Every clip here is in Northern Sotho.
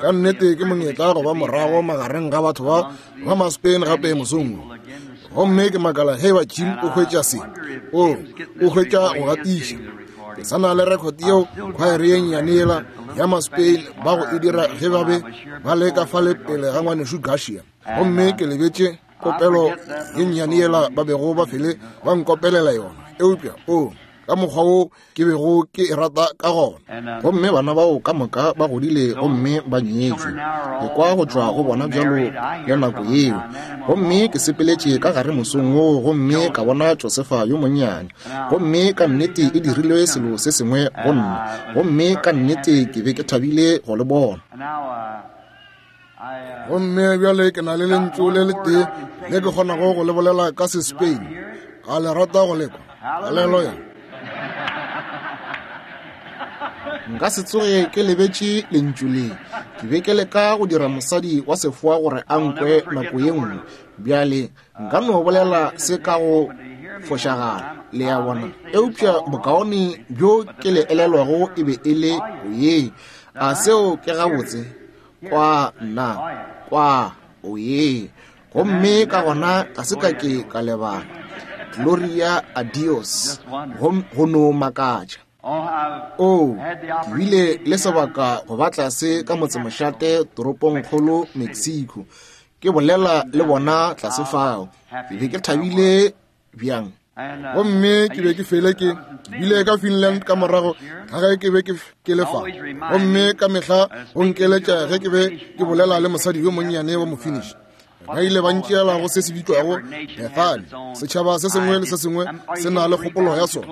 Ka nnete ke monyetla go ba morago magareng ga batho ba ba ma-Spain gape mosong wo. Gomme ke makala ge ba Jim o hwetša se. O, o hwetša go gatiša. Ke sa na le record yeo khwaere ye nnyane yela ya ma-Spain ba go e dira ge ba be ba le ka fale pele ga ngwanešu Garcia. Gomme ke lebetše kopelo ye nnyane yela ba bego ba fele ba nkopelela yona. Eupša, o, ka mokgwa wo ke bego ke e rata ka gona. Gomme bana bao ka moka ba godile gomme ba nyetšwe. Ke kwa go tšwa go bona bjalo le nako yeo. Gomme ke sepeletše ka gare mosong woo gomme ka bona Josefa yo monnyane. Gomme ka nnete e dirile selo se sengwe go nna. Gomme ka nnete ke be ke thabile go le bona. Gomme bjale ke na le lentšu le letee le ke kgonago go le bolela ka se-Spain. A le rata go lekwa? Haleluya! Nka se tsoge ke lebetše lentšu le. Ke be ke leka go dira mosadi wa sefoa gore a nkwe nako ye nngwe. Bjale, nka no bolela se ka go fošagala, le a bona. Eupša bokaone bjo ke le elelwago e be e le oye. A seo ke gabotse? Kwa nna, kwa, oye. Gomme ka gona ga se ka ke ka lebala. Gloria a Dios, go no makatša. Oo, ke bile le sebaka go ba tlase ka motsemošate toropongkgolo Mexico, ke bolela le bona tlase fao. Ke be ke thabile bjang. Gomme ke be ke fele ke bile ka Finland ka morago ga ge ke be ke le fa. Gomme ka mehla go nkeletša ge ke be ke bolela le mosadi yo monnyane wa Mofinnish. Ba ile ba ntšeela go se se bitšwago Bethany. Setšhaba se sengwe le se sengwe se na le kgopolo ya sona.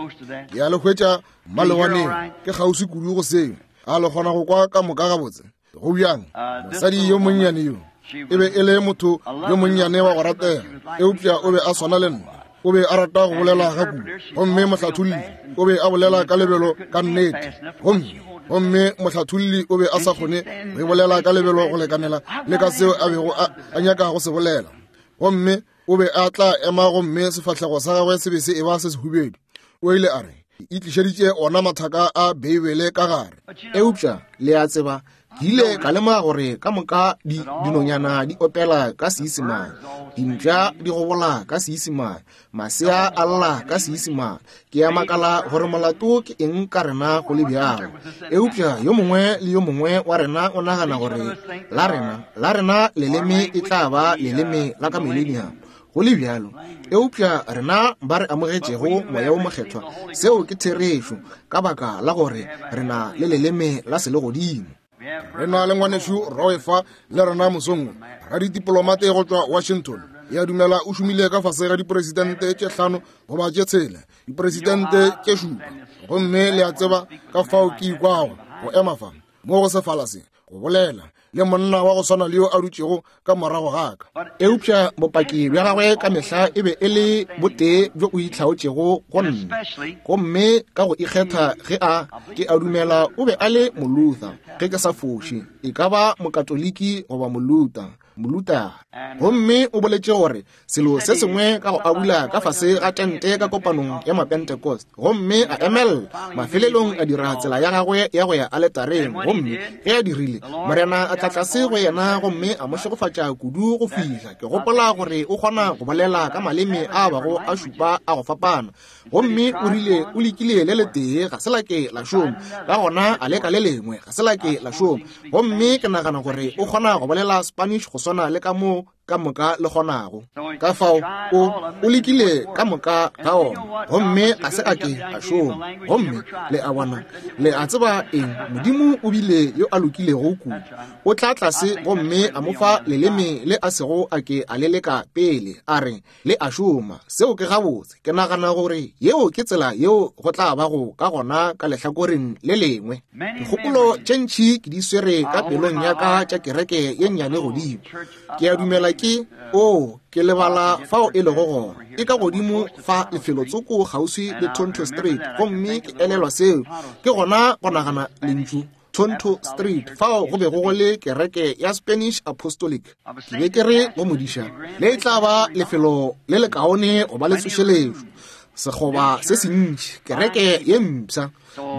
Ke a le hwetša malewaneng, ke kgauswi kudu go seo. A le kgona go kwa ka moka gabotse? Go bjang? Mosadi yo monnyane yo e be e le motho yo monnyane wa go ratega, eupša o be a swana le nna. O be a rata go bolela ga kudu, gomme mohlatholli o be a bolela ka lebelo ka nnete, gomme gomme mohlatholli o be a sa kgone go e bolela ka lebelo go lekanela le ka seo a bego a nyaka go se bolela. Gomme o be a tla ema gomme sefahlego sa gagwe se be se eba se sehubedu. O ile a re, Ke itlišeditše ona mathaka a Beibele ka gare. Eupša, le a tseba, ke ile ka lemoga gore ka moka di, dinonyana di opela ka Seisemane, dimpša di gobola ka Seisemane, masea a lla ka Seisemane. Ke a makala gore molato ke eng ka rena go le bjalo. Eupša yo mongwe le yo mongwe wa rena o nagana gore la rena, la rena leleme e tla ba leleme la ka Millennium. Go le bjalo, eupša rena ba re amogetšego Moya wo Mokgethwa, seo ke therešo, ka baka la gore re na le leleme la selegodimo. Re na le ngwanešu Roy fa le rena mosong wo, raditipolomate go tšwa Washington. Ke a dumela o šomile ka fase ga dipresidente tše hlano goba tše tshela, dipresidente tše šupa. Gomme le a tseba ka fao ke ikwago go ema fa mo go sefala se, go bolela le monna wa go swana le yo a dutšego ka morago ga ka. Eupša bopaki bja gagwe ka mehla e be e le botee bjo o itlhaotšego go nna, gomme ka go ikgetha ge a ke a dumela o be a le Moluther, ge ke sa foše, e ka ba Mokatoliki goba Moluther, Moluther. Gomme o boletše gore selo se sengwe ka go abula ka fase ga tente ka kopanong ya Mapentecost, gomme a emelela, mafelelong a dira tsela ya gagwe ya go ya aletareng, gomme ge a dirile, Morena a tla tlase go yena gomme a mo šegofatša kudu go fihla ke gopola gore o kgona go bolela ka maleme a bago a šupa a go fapana. Gomme o rile o lekile le letee, ga se la ke la šoma, ka gona a leka le lengwe, ga se la ke la šoma. Gomme ke nagana gore o kgona go bolela Spanish go swana le ka moo ka moka le kgonago. Ka fao o, o lekile ka moka ga ona, gomme ga se a ke a šoma. Gomme le a bona, le a tseba eng? Modimo o bile yo a lokilego kudu. O tla tlase gomme a mo fa leleme le a sego a ke a le leka pele, a re, Le a šoma. Seo ke gabotse. Ke nagana gore yeo ke tsela yeo go tla bago ka gona ka lehlakoreng le lengwe. Dikgopolo tše ntši ke di swere ka pelong ya ka tša kereke ye nnyane godimo. Ke a dumela ke, oo, ke lebala fao e lego gona. E ka godimo fa lefelotsoko kgauswi le Tonto Street, gomme ke elelwa seo. Ke gona go nagana lentšu. Tonto Street, fao go bego go le kereke ya Spanish Apostolic. Ke be ke re go modiša, le e tla ba lefelo le lekaone go ba le tsošeletšo. Sekgoba se sentši, kereke ye mpsha,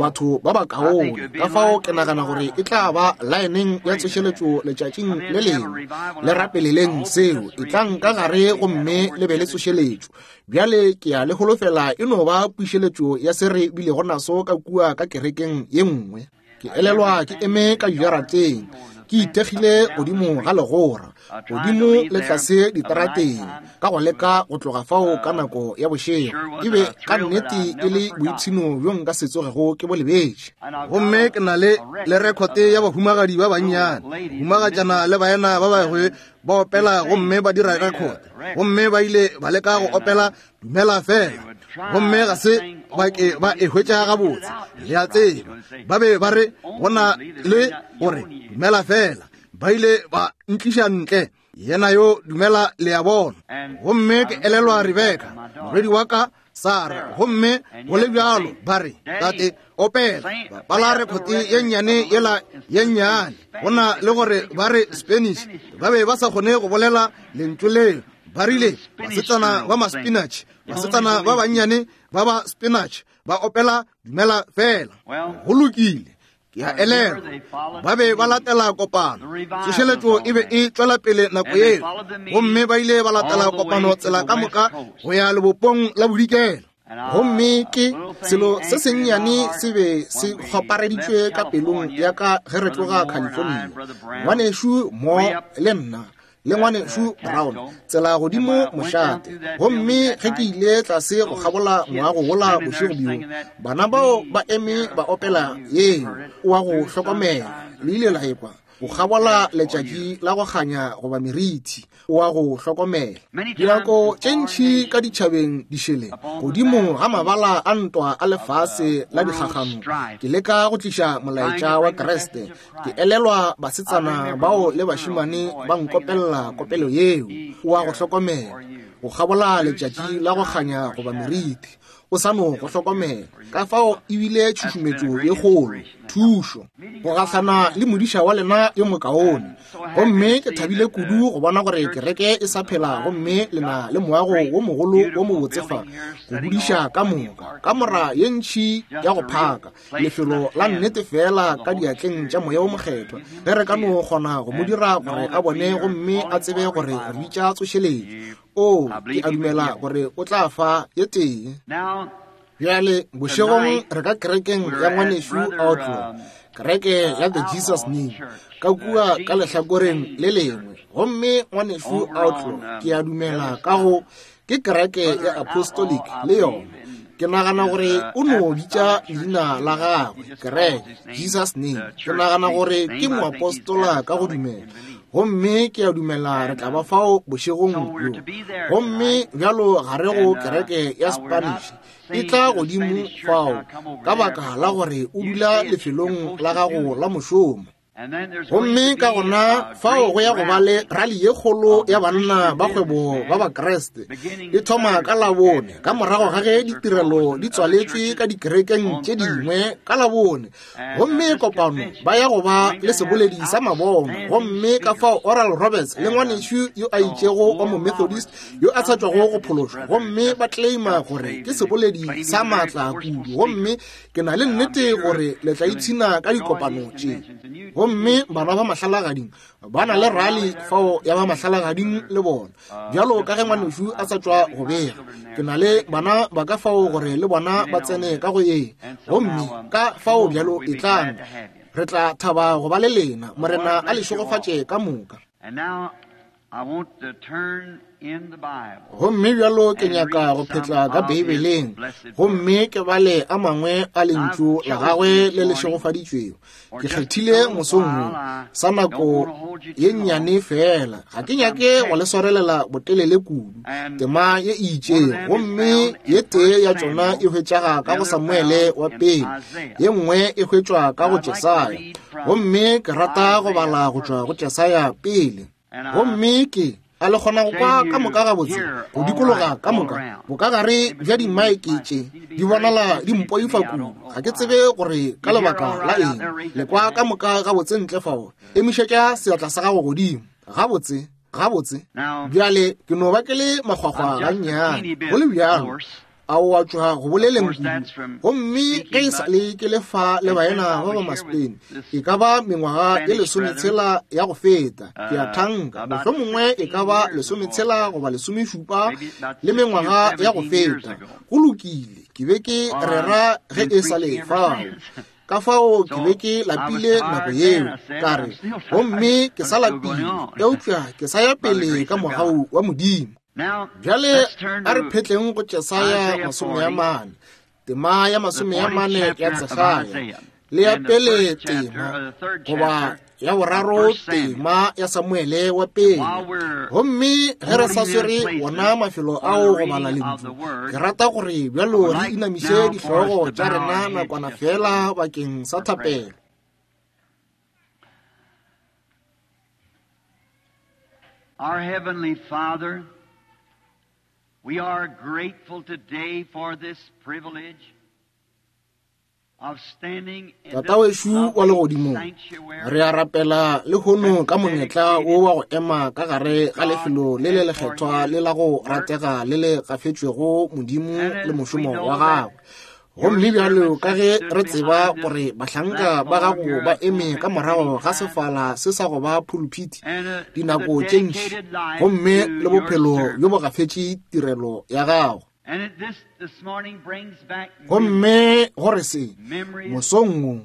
batho ba bakaone. Ka fao ke nagana gore e tla ba laeneng ya tsošeletšo letšatšing le lengwe. Le rapeleleng seo, etlang ka gare gomme le be le tsošeletšo. Bjale ke a le holofela e no ba pušeletšo ya se re bilego naso ka kua ka kerekeng ye nngwe. Ke elelwa ke eme ka dijarateng, ke ithekgile godimo ga legora, godimo le tlase diterateng, ka go leka go tloga fao ka nako ya bošego. E be ka nnete e le boipshino bjo nka se tsogego ke bo lebetše. Gomme ke na le le rekhote ya bahumagadi ba bannyane, humagatšana le baena ba bangwe ba opela gomme ba dira rekhote, gomme ba ile ba leka go opela Dumela Fela, gomme ga se ba ke ba e hwetša gabotse. Le a tseba, ba be ba re go na le gore Dumela Fela, ba ile ba ntliša ntle, yena yo dumela le a bona. Gomme ke elelwa Rebeka, morwedi wa ka Sara, gomme go le bjalo ba re, Tate, opela, bapala rekhote ye nnyane yela ye nnyane. Go na le gore ba re Spanish, ba be ba sa kgone go bolela lentšu leo. Ba rile, basetsana ba ma-spinach, basetsana ba bannyane ba ba spinach, ba opela Dumela Fela. Go lokile, ke a elelwa ba be ba latela kopano. Tsošeletšo e be e tšwela pele nako yeo, gomme ba ile ba latela kopano tsela ka moka go ya lebopong la bodikela. Gomme ke selo se sennyane se be se kgwapareditšwe ka pelong ya ka ge re tloga California. Ngwanešu Mo le nna le ngwanešu Brown, tsela godimo mošate. Gomme ge ke ile tlase go kgabola moago wola bošego bjo, bana bao ba eme ba opela yeo, o a go hlokomela, le ile la ekwa, go kgabola letšatši la go kganya goba merithi, o a go hlokomela. Dinako tše ntši ka ditšhabeng dišele, godimo ga mabala a ntwa a lefase la dikgagano, ke leka go tliša molaetša wa Kriste. Ke elelwa basetsana bao le bašemane ba nkopella kopelo yeo, o a go hlokomela, go kgabola letšatši la go kganya goba merithi, o sa no go hlokomela. Ka fao e bile tšhušumetšo ye kgolo, thušo, go gahlana le modiša wa lena yo mokaone. Gomme ke thabile kudu go bona gore kereke e sa phela gomme le na le moago wo mogolo wo mobotse fa go budiša ka moka, kamora ye ntši ya go phaka, lefelo la nnete feela ka diatleng tša Moya wo Mokgethwa, ge re ka no kgona go mo dira gore a bone gomme a tsebe gore re bitša tsošeletšo. Oo, ke a dumela gore o tla fa ye tee. Bjale, bošegong re ka kerekeng ya ngwanešu Outlaw, kereke ya The Jesus Name, ka kua ka lehlakoreng le lengwe. Gomme ngwanešu Outlaw, ke a dumela ka go ke kereke ya Apostolic le yona. Ke nagana gore o no bitša leina la gagwe, kereke, Jesus Name. Ke nagana gore ke moapostola ka go dumela. Gomme ke a dumela re tla ba fao bošegong bjo. Gomme bjalo ga re go kereke ya Spanish e tla godimo fao, ka baka la gore o dula lefelong la gago la mošomo. Gomme ka gona fao go ya go ba le rali ye kgolo ya banna ba kgwebo ba Bakriste e thoma ka Labone, ka morago ga ge ditirelo di tswaletšwe ka dikerekeng tše dingwe ka Labone. Gomme kopano ba ya go ba le seboledi sa mabono. Gomme ka fao Oral Roberts le ngwanešu yo a itšego wa Momethodist yo a sa tšwago go phološwa, gomme ba claima gore ke seboledi sa maatla kudu. Gomme ke na le nnete gore le tla ipshina ka dikopano tše. Gomme bana ba mahlalagading ba na le rali fao ya ba mahlalagading le bona, bjalo ka ge ngwanešu a sa tšwa go bega. Ke na le bana ba ka fao gore le bona ba tsene ka go ye. Gomme ka fao bjalo etlang, re tla thaba go ba le lena. Morena a le šegofatše ka moka. Gomme bjalo ke nyaka go phetla ka Beibeleng gomme ke bale a mangwe a Lentšu la Gagwe le le šegofaditšwego. Ke kgethile mosong wo sa nako ye nnyane feela. Ga ke nyake go le swarelela botelele kudu, tema ye e itšego. Gomme ye tee ya tšona e hwetšaga ka go Samuele wa pele, ye nngwe e hwetšwa ka go Jesaya. Gomme ke rata go bala go tšwa go Jesaya pele. Gomme ke a le kgona go kwa ka moka gabotse go dikologa ka moka bokagare bja dimaeke tše di bonala di mpoifa kudu. Ga ke tsebe gore ka lebaka la eng. Le kwa ka moka gabotse ntle fao? Emišetša seatla sa gago godimo. Gabotse, gabotse. Bjale ke no ba ke le makgwakgwa gannyane, go le bjalo. A o a tšwa go boleleng kudu. Gomme ge e sa le ke le fa le baena ba ba Maspain, e ka ba mengwaga ye lesometshela ya go feta, ke a thanka, mohlomongwe e ka ba lesometshela goba lesomešupa le mengwaga ya go feta. Go lokile, ke be ke rera ge e sa le fao. Ka fao ke be ke lapile nako yeo, ka re, gomme ke sa lapile, eupša ke sa ya pele ka mogau wa Modimo. Bjale a re phetleng go Jesaya 40, tema ya 40 ya Jesaya, le ya pele tema, goba ya boraro tema ya Samuele wa pele. Gomme ge re sa swere wona mafelo ao go bala lentšu, ke rata gore bjalo re inamiše dihlogo tša rena nakwana fela bakeng sa thapelo. Our Heavenly Father, we are grateful today for this privilege Tata wešo wa legodimong, re a rapela lehono ka monyetla wo wa go ema ka gare ga lefelo le le lekgethwa le la go ratega le le gafetšwego Modimo le mošomo wa gagwe. Gomme bjalo ka ge re tseba gore bahlanka ba gago ba eme ka morago ga sefala se sa go ba phuluphiti dinako tše ntši, gomme le bophelo bjo bo gafetše tirelo ya gago. Gomme gore se, mosong wo,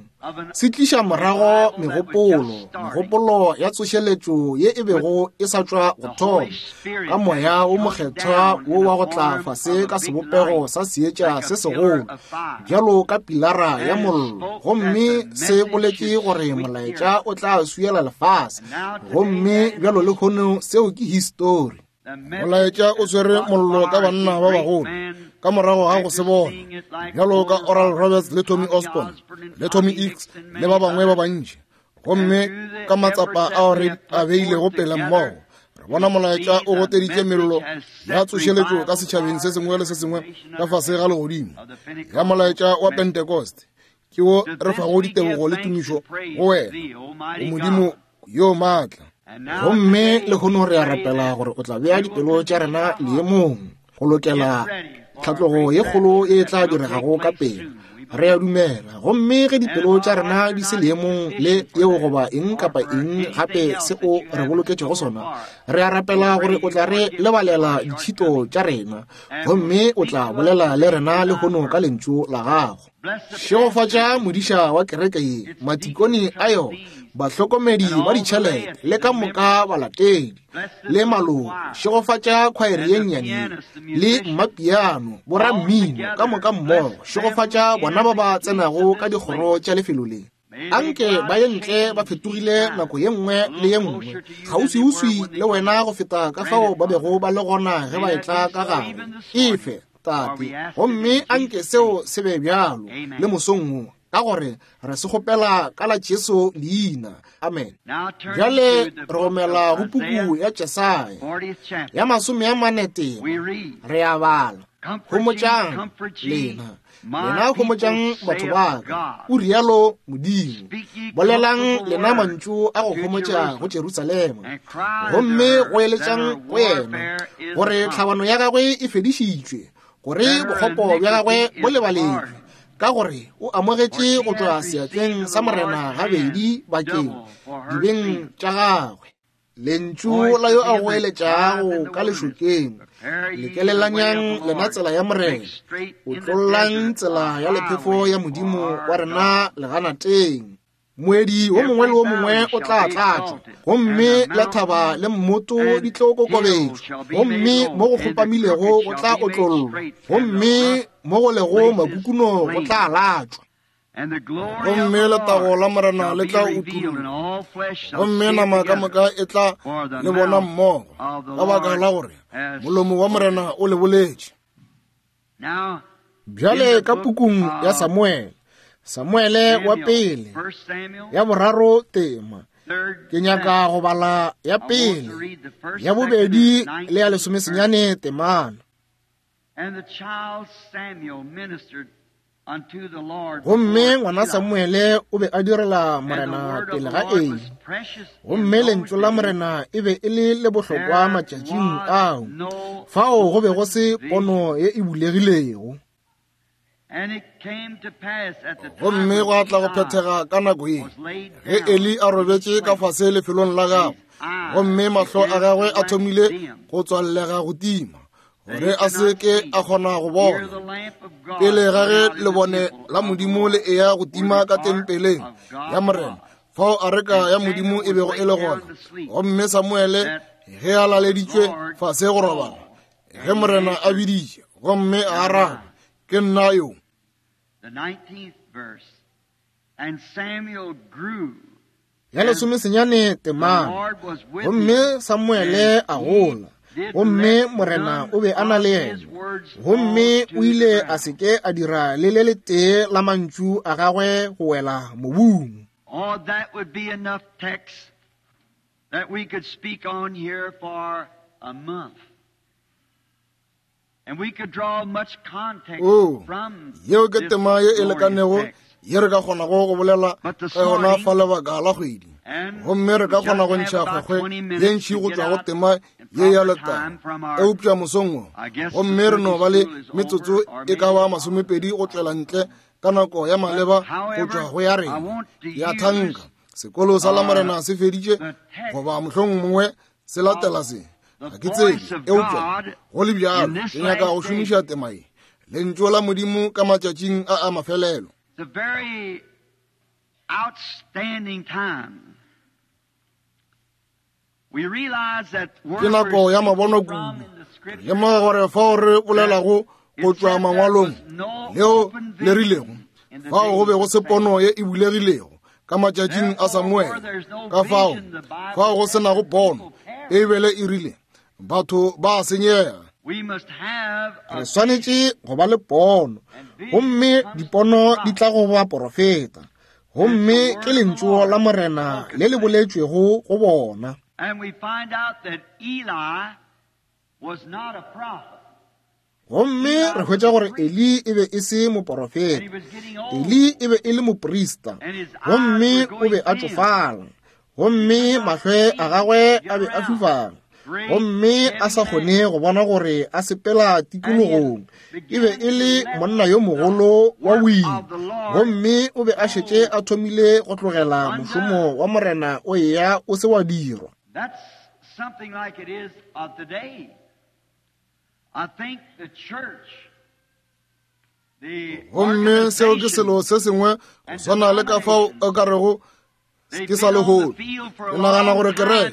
se tliša morago megopolo, megopolo ya tsošeletšo ye e bego e sa tšwa go thoma, ka Moya wo Mokgethwa wo wa go tla fase ka sebopego sa seetša se segolo, bjalo ka pilara ya mollo, gomme se boletše gore molaetša o tla swiela lefase, gomme bjalo lehono seo ke histori. Molaetša o swere mollo ka banna ba bagolo ka morago ga go se bona, bjalo ka Oral Roberts le Tommy Osborn le Tommy Hicks le ba bangwe ba bantši. Gomme ka matsapa ao re a beilego pele mmogo, re bona molaetša o goteditše mello ya tsošeletšo ka setšhabeng se sengwe le se sengwe ka fase ga legodimo ya molaetša wa Pentecost. Ke wo re fago ditebogo le tumišo go wena, o Modimo yo maatla. Gomme lehono re a rapela gore o tla bea dipelo tša rena leemong go lokela tlhatlogo ye kgolo ye e tla diregago ka pele. Re a dumela. Gomme ge dipelo tša rena di se leemong le yeo goba eng kapa eng gape se o re boloketšego sona, re a rapela gore o tla re lebalela ditšhito tša rena, gomme o tla bolela le rena lehono ka lentšu la gago. Šegofatša modiša wa kereke ye, matikone a yona, bahlokomedi ba ditšhelete le ka moka balatedi le maloko. Šegofatša khwaere ye nnyane ye le mmapiano, borammino ka moka mmogo. Šegofatša bona ba ba tsenago ka dikgoro tša lefelo le. Anke ba ye ntle ba fetogile nako ye nngwe le ye nngwe, kgauswiuswi le wena go feta ka fao ba bego ba le gona ge ba etla ka gare. Efe, Tate, gomme anke seo se be bjalo le mosong wo, ka gore re se kgopela ka la Jesu leina. Amen. Bjale re romela go puku ya Jesaya ya 44 tema. Re a bala. Homotšang lena, lena homotšang batho ba ka, o rialo Modimo. Bolelang lena mantšu a go homotša go Jerusalema, gomme goeletšang go yena gore tlhabano ya gagwe e fedišitšwe, gore bokgopo bja gagwe bo lebaletšwe, ka gore o amogetše go tšwa seatleng sa Morena gabedi bakeng dibeng tša gagwe. Lentšu la yo a goeletšago ka lešokeng, lekelelanyang lena tsela ya Morena, otlollang tsela ya lephefo ya Modimo wa rena leganateng. Moedi wo mongwe le wo mongwe o tla tlatšwa, gomme la thaba le mmoto di tlo kokobetšwa, gomme mo go kgopamilego go tla otlollwa, gomme mo go lego makukuno go tla latšwa. Gomme letago la Morena le tla utullwa, gomme nama ka moka e tla le bona mmogo, ka baka la gore molomo wa Morena o le boletše. Bjale ka pukung ya Samuele, Samuele wa pele, ya boraro tema, ke nyaka go bala ya pele, ya bobedi le ya lesomesenyane temana. And the child Samuel ministered Gomme ngwana Samuele o be a direla Morena pele ga Eli. Gomme lentšu la Morena e be e le le bohlokwa matšatšing ao. Fao go be go se pono ye e bulegilego. Gomme gwa tla go phethega ka nako ye ge Eli a robetše ka fase lefelong la gagwe, gomme mahlo a gagwe a thomile go tswallega go tima, gore a se ke a kgona go bona. Pele ga ge lebone la Modimo le eya go tima ka tempeleng ya Morena, fao areka ya Modimo e bego e le gona, gomme Samuele ge a laleditšwe fase go robala, ge Morena a biditše gomme a araba, Ke nna yo. Ya lesomesenyane temana. Gomme Samuele a gola, gomme Morena o be a na le yena, gomme o ile a se ke a dira le le letee la mantšu a gagwe go wela mobung. Oh, that would be enough text that we could speak on here for a month. Oo, yeo ke tema ye e lekanego ye re ka kgonago go bolela ka yona fa lebaka la kgwedi. Gomme re ka kgona go ntšha kgwekgwe ye ntši go tšwa go tema ye ya letago. Eupša mosong wo, gomme re no ba le metsotso e ka ba 20 go tšwela ntle ka nako ya maleba go tšwa go ya rena. Ke a thanka sekolo sa Lamorena se feditše, goba mohlomongwe se latela se, ga ke tsebe, eupša go le bjalo ke nyaka go šomiša tema ye, Lentšu la Modimo ka matšatšing a a mafelelo. Ke nako ya mabono kudu. Re lemoga gore fao re bolelago go tšwa mangwalong leo le rilego, fao go be go se pono ye e bulegilego ka matšatšing a Samuele. Ka fao, fao go se nago pono, Beibele e rile, batho ba senyega. Re swanetše go ba le pono, gomme dipono di tla go baporofeta, gomme ke lentšu la Morena le le boletšwego go bona. Gomme re hwetša gore Eli e be e se moporofeta. Eli e be e le moprista, gomme o be a tšofala, gomme mahlo a gagwe a be a fifala, gomme a sa kgone go bona gore a sepela tikologong. E be e le monna yo mogolo wa boima, gomme o be a šetše a thomile go tlogela mošomo wa Morena o eya o se wa dirwa. That's something like it is of today. I think the church, the Gomme seo ke selo se sengwe go swana le ka fao o ka rego ke sa lehono. Ke nagana gore kereke,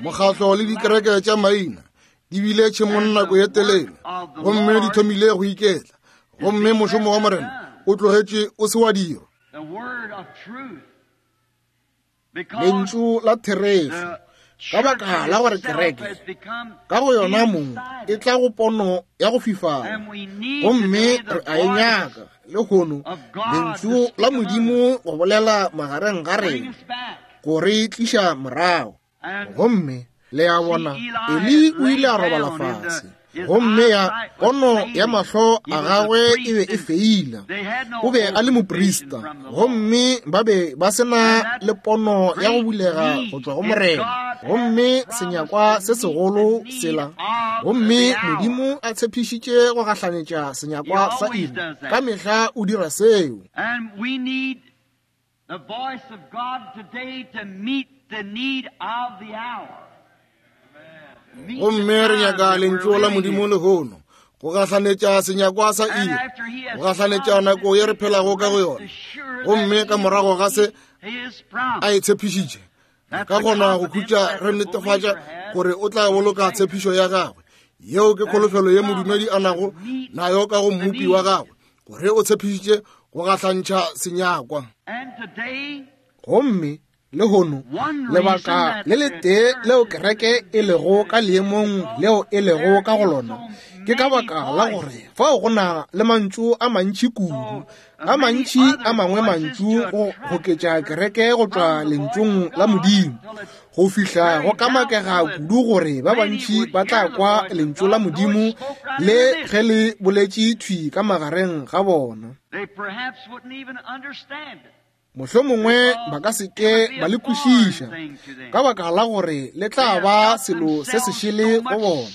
mokgatlo le dikereke tša maina di bile tšhemong nako ye telele, gomme di thomile go iketla, gomme mošomo wa Morena o tlogetše o se wa dirwa. Lentšu la therešo, ka baka la gore kereke ka go yona mong e tla go pono ya go fifala, gomme re a e nyaka lehono, lentšu la Modimo go bolela magareng ga rena, go re tliša morago. Gomme le a bona, Eli o ile a robala fase, gomme ya pono ya mahlo a gagwe e be e feila. O be a le moprista, gomme ba be ba se na le pono ya go bulega go tšwa go Morena, gomme senyakwa se segolo sela. Gomme Modimo a tshepišitše go gahlanetša senyakwa sa iri. Ka mehla o dira seo. The voice of God today to meet the need of the hour. Gomme re nyaka lentšu la Modimo lehono go gahlanetša senyakwa sa iri, go gahlanetša nako ye re phelago ka go yona. Gomme ka morago ga se a e tshepišitše, re ka kgona go khutša re netefatša gore o tla boloka tshepišo ya gagwe. Yeo ke kholofelo ye modumedi a nago nayo ka go Mmopi wa gagwe, gore o tshepišitše go gahlantšha senyakwa. Gomme Lehono, lebaka le letee leo kereke e lego ka leemong leo e lego ka go lona, ke ka baka la gore fao go na le mantšu a mantši kudu, a mantši a mangwe mantšu go goketša kereke go tšwa lentšung la Modimo, go fihla go kamakega kudu gore ba bantši ba tla kwa lentšu la Modimo le ge le boletše thwi ka magareng ga bona. Mohlomongwe ba ka se ke ba le kwešiša, ka baka la gore le tla ba selo se sešele go bona.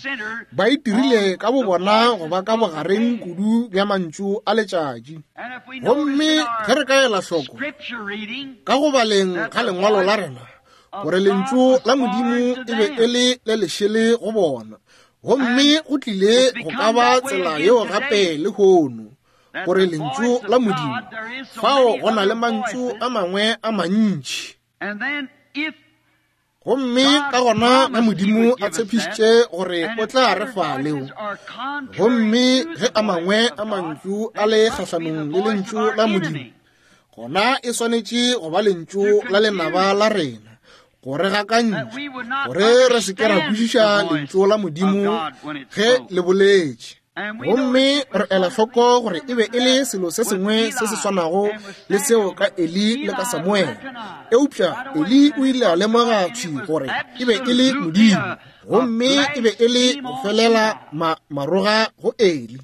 Ba itirile ka bobona go ba ka bogareng kudu bja mantšu a letšatši. Gomme ge re ka ela hloko ka go baleng ga lengwalo la rena gore lentšu la Modimo e be e le le lešele go bona, gomme go tlile go ka ba tsela yeo gape lehono, gore lentšu la Modimo, fao go na le mantšu a mangwe a mantši. Gomme ka gona ge Modimo a tshepišitše gore o tla re fa leo, gomme ge a mangwe a mantšu a le kgahlanong le lentšu la Modimo, gona e swanetše go ba lentšu la lenaba la rena, gore gakantši, gore re se ke ra kwešiša lentšu la Modimo ge le boletše. Gomme re ela hloko gore e be e le selo se sengwe se se swanago le seo ka Eli le ka Samuele. Eupša Eli o ile a lemoga thwi gore e be e le Modimo, gomme e be e le go felela maroga go Eli,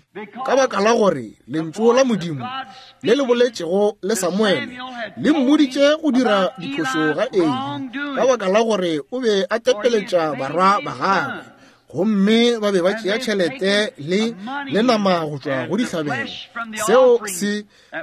ka baka la gore lentšu la Modimo le le boletšego le Samuele le mmoditše go dira diphošo ga Eli, ka baka la gore o be a tepeletša barwa ba gagwe. Gomme ba be ba tšea tšhelete le le nama go tšwa go dihlabelo. Seo se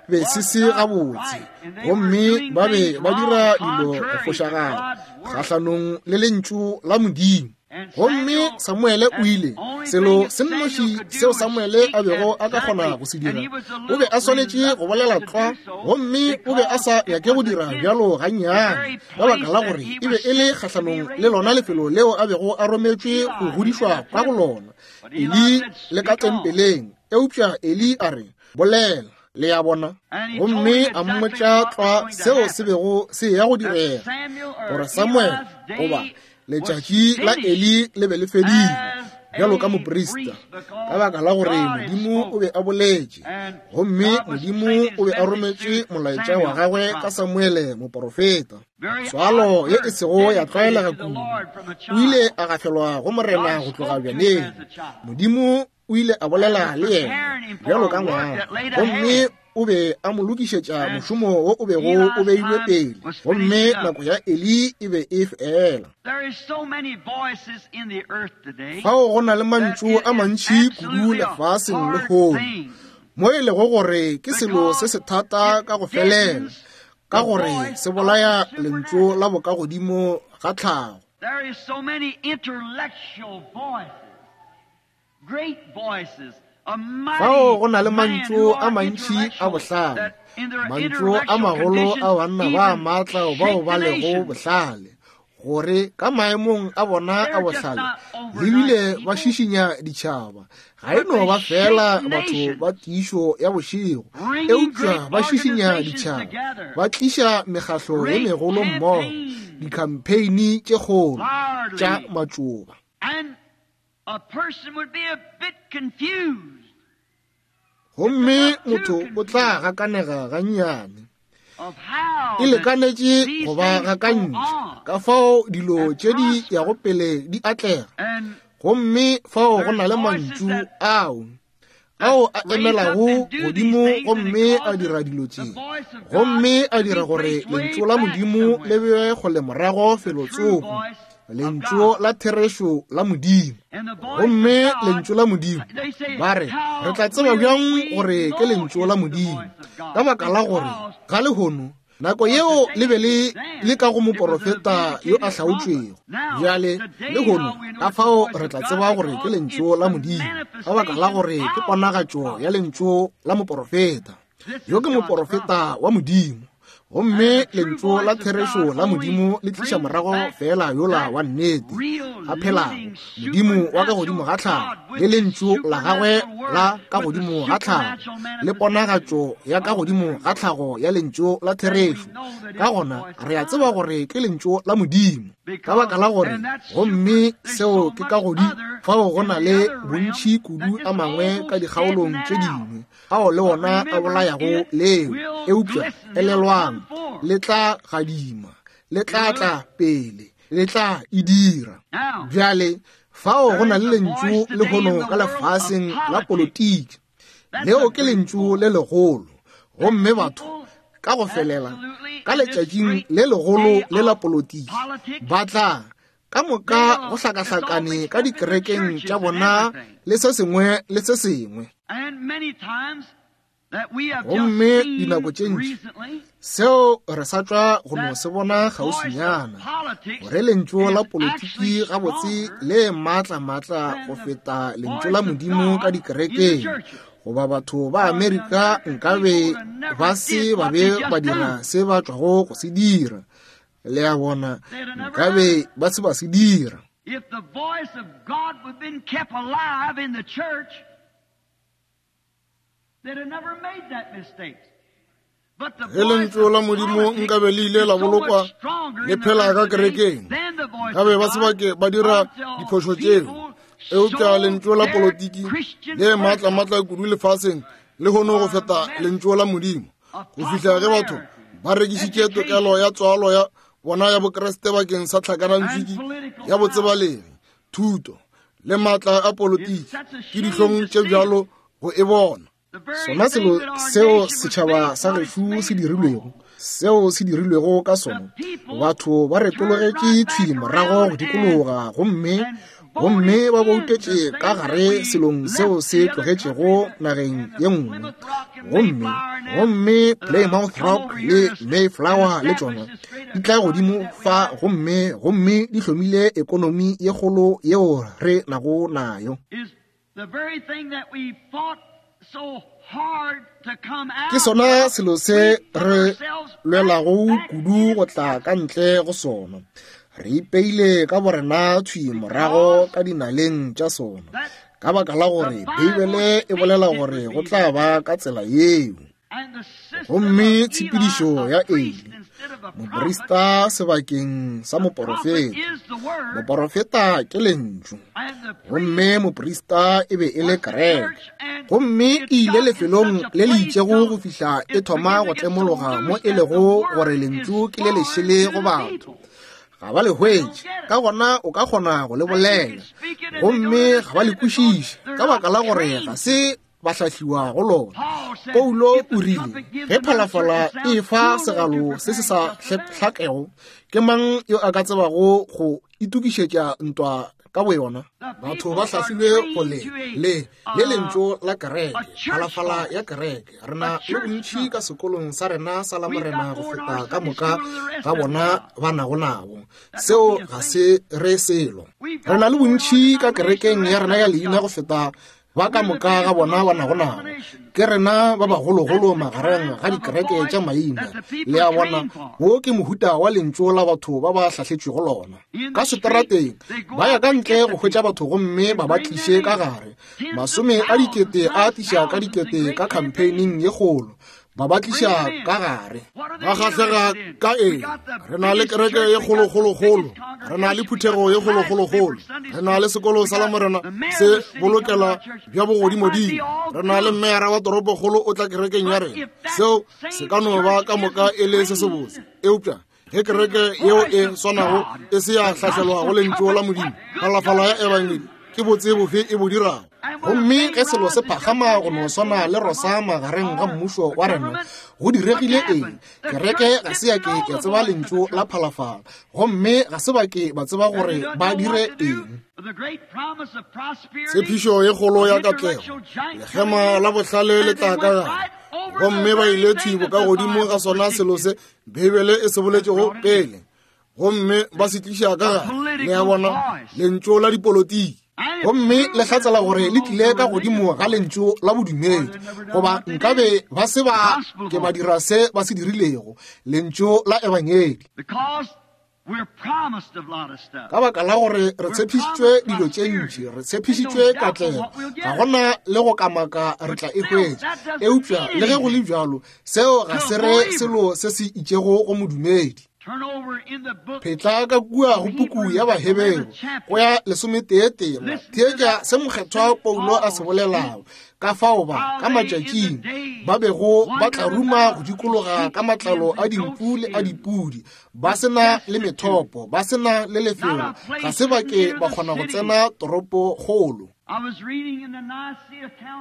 be se se gabotse. Gomme ba be ba dira dilo go fošagala kgahlanong le lentšu la Modimo. Gomme Samuele o ile, selo se nnoši seo Samuele a bego a ka kgona go se dira, o be a swanetše go bolela tlwa, gomme o be a sa nyake go dira bjalo gannyane, ka baka la gore e be e le kgahlanong le lona lefelo leo a bego a rometšwe go godišwa ka go lona, Eli le ka tempeleng. Eupša Eli a re, Bolela. Le a bona? Gomme a mmotša tlwa seo se bego se eya go direga, gore Samuele goba letšatši la Eli le be le fedile bjalo ka moprista, ka baka la gore Modimo o be a boletše, gomme Modimo o be a rometše molaetša wa gagwe ka Samuele moporofeta. Tswalo ye e sego ya tlwaelega kudu, o ile a gafelwa go Morena go tloga bjaneng. Modimo o ile a bolela le yena bjalo ka ngwana, gomme o be a mo lokišetša mošomo wo o bego o beilwe pele, gomme nako ya Eli e be e fela. Fao go na le mantšu a mantši kudu lefaseng lehono, mo e lego gore ke selo se se thata ka go felela, ka gore se bolaya lentšu la bokagodimo ga tlhago. There is so many intellectual voices, great voices, Fao go na le mantšu a mantši a bohlale, mantšu a magolo a banna ba maatla bao ba lego bohlale, gore ka maemong a bona a bohlale le bile ba šišinya ditšhaba. Ga e no ba fela batho ba tiišo ya bošego, eupša ba šišinya ditšhaba, ba tliša mekgahlo ye megolo mmogo, dikhampheini tše kgolo tša matšoba. A person would be a bit confused. Gomme motho o tla gakanega gannyane. E lekanetše go ba gakantšha, ka fao dilo tše di yago pele di atlega. Gomme fao go na le mantšu ao ao a emelago godimo gomme a dira dilo tše, gomme a dira gore lentšu la Modimo le bewe kgole morago felotsoko, lentšu la therešo la Modimo. Gomme lentšu la Modimo, ba re, re tla tseba bjang gore ke lentšu la Modimo? Ka baka la gore ga lehono nako yeo le be le le ka go moporofeta yo a hlaotšwego. Bjale lehono ka fao re tla tseba gore ke lentšu la Modimo, ka baka la gore ke ponagatšo ya lentšu la moporofeta. Yo ke moporofeta wa Modimo, gomme lentšu la therešo la Modimo le tliša morago feela yola wa nnete. a phelago, Modimo wa ka godimo ga tlhago, le Lentšu la Gagwe la ka godimo ga tlhago, le ponagatšo ya ka godimo ga tlhago ya Lentšu la therešo. Ka gona re a tseba gore ke Lentšu la Modimo, ka baka la gore, gomme seo ke ka godimo fao go na le bontši kudu a mangwe ka dikgaolong tše dingwe ao le ona a bolayago leo. Eupša elelwang, le tla gadima, le tla tla pele, le tla e dira. Bjale fao go na le lentšu lehono ka lefaseng la politiki, leo ke lentšu le legolo, gomme batho ka go felela ka letšatšing le legolo le la politiki ba tla ka moka go hlakahlakane ka dikerekeng tša bona le se sengwe le se sengwe. Gomme dinako tše ntši seo re sa tšwa go no se bona kgauswinyana, gore lentšu la politiki gabotse le maatla-maatla go feta lentšu la Modimo ka dikerekeng, goba batho ba Amerika nkabe ba se ba be ba dira se ba tšwago go se dira. Le a bona, nkabe ba se ba se dira. If the voice of God would have been kept alive in the church, they'd have never made that mistake. Ge lentšu la Modimo nkabe le ile la bolokwa le phela ka kerekeng, nkabe ba se ba ke ba dira diphošo tšeo. Eupša lentšu la politiki le maatla-maatla kudu lefaseng lehono go feta lentšu la Modimo, go fihla ge batho ba rekišitše tokelo ya tswalo ya bona ya Bokriste bakeng sa tlhakanantswiki ya botsebalegi, thuto le maatla a politiki. Ke dihlong tše bjalo go e bona. Sona selo seo setšhaba sa gešo se dirilwego, seo se dirilwego ka sona, batho ba retologetše thwi morago go dikologa gomme gomme ba boutetše ka gare selong seo se tlogetšego nageng ye nngwe, gomme gomme Plymouth Rock le Mayflower le tšona di tla godimo fa gomme gomme di hlomile ekonomi ye kgolo yeo re nago nayo. Ke sona selo se re lwelago kudu go tla ka ntle go sona. Re ipeile ka borena thwi morago ka dinaleng tša sona, ka baka la gore Beibele e bolela gore go tla ba ka tsela yeo. Gomme tshepedišo ya Eli, moprista sebakeng sa moporofeta, moporofeta ke lentšu, gomme moprista e be e le kereke, gomme e ile lefelong le le itšego go fihla e thoma go tlemologa mo e lego gore lentšu ke le lešele go batho, ga ba le hwetše. Ka gona o ka kgona go le bolela, gomme ga ba le kwešiše, ka baka la gore ga se ba hlahliwa go lona. Paulo o rile, ge phalafala e fa segalo se se sa hlakego, ke mang yo a ka tsebago go itokišetša ntwa ka boyona? Batho ba hlahlilwe go le le le lentšu la kereke, phalafala ya kereke. Re na le bontši ka sekolong sa rena sa Lamorena go feta ka moka ga bona ba nago nabo. Seo ga se re selo. Re na le bontši ka kerekeng ya rena ya leina go feta ba ka moka ga bona ba nago nabo. Ke rena ba bagologolo magareng ga dikereke tša maina. Le a bona, wo ke mohuta wa lentšu la batho ba ba hlahletšwego lona. Ka seterateng ba ya ka ntle go hwetša batho gomme ba ba tliše ka gare. Masome a dikete a tliša ka dikete ka campaigning ye kgolo, ba ba tliša ka gare. Ba kgahlega ka eng? Re na le kereke ye kgolokgolokgolo, re na le phuthego ye kgolokgolokgolo, re na le sekolo sa Lamorena se bolokela bja bogodimodimo, re na le meyara wa toropokgolo o tla kerekeng ya rena. Seo se ka no ba ka moka e le se sebotse, eupša ge kereke yeo e swanago e se ya hlahlelwa go lentšu la Modimo, phalafala ya ebangedi ke botse bofe e bo dirago? Gomme ge selo se phagama go no swana le rosa magareng ga mmušo wa rena, go diregile eng? Kereke ga se ya ke ya tseba lentšu la phalafala, gomme ga se ba ke ba tseba gore ba dire eng. Tshepišo ye kgolo ya katlego, lekgema la bohlale le tla ka gare, gomme ba ile thwi bokagodimo ga sona selo se Beibele e se boletšego pele, gomme ba se tliša ka gare, le a bona, lentšu la dipolotiki, gomme le hlatsela gore le tlile ka godimo ga lentšu la bodumedi, goba nkabe ba se ba ke ba dira se ba se dirilego, lentšu la ebangedi. Ka baka la gore re tshepišitšwe dilo tše ntši, re tshepišitšwe katlego, ga gona le go kamaka re tla e hwetša. Eupša le ge go le bjalo, seo ga se re selo se se itšego go modumedi. Phetla ka kua go puku ya Baheberu go ya lesometeetema, theetša se mokgethwa Paulo a se bolelago. Ka fao ba ka matšatšing ba bego ba tla ruma go dikologa ka matlalo a dinku le a dipudi, ba se na le methopo, ba se na le lefelo, ga se ba ke ba kgona go tsena toropokgolo.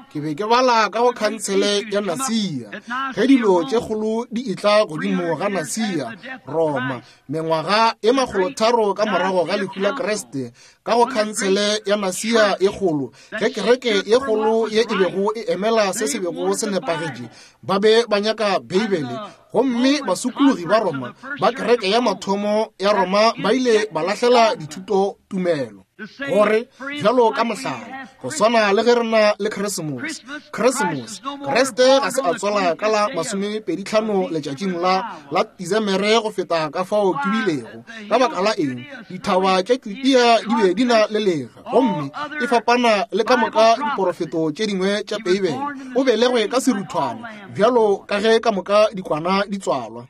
Ke be ke bala ka go khansele ya Nasia, ge dilo tše kgolo di etla godimo ga Nasia, Roma, mengwaga e makgolotharo ka morago ga lehu la Kriste, ka go khansele ya Nasia e kgolo, ge kereke ye kgolo ye e bego e emela se se bego se nepagetše, ba be ba nyaka Beibele. Gomme basokologi ba Roma ba kereke ya mathomo ya Roma ba ile ba lahlela dithuto tumelo, gore bjalo ka mohlala, go swana le ge re na le Keresemose, Keresemose, Kriste ga se a tswala ka la masomepeditlhano letšatšing la la Disemere go feta ka fao ke bilego. Ka baka la eng? Dithaba tša Judea di be di na le lega, gomme e fapana le ka moka diporofeto tše dingwe tša Beibele. O belegwe ka seruthwane, bjalo ka ge ka moka dikwana di tswalwa.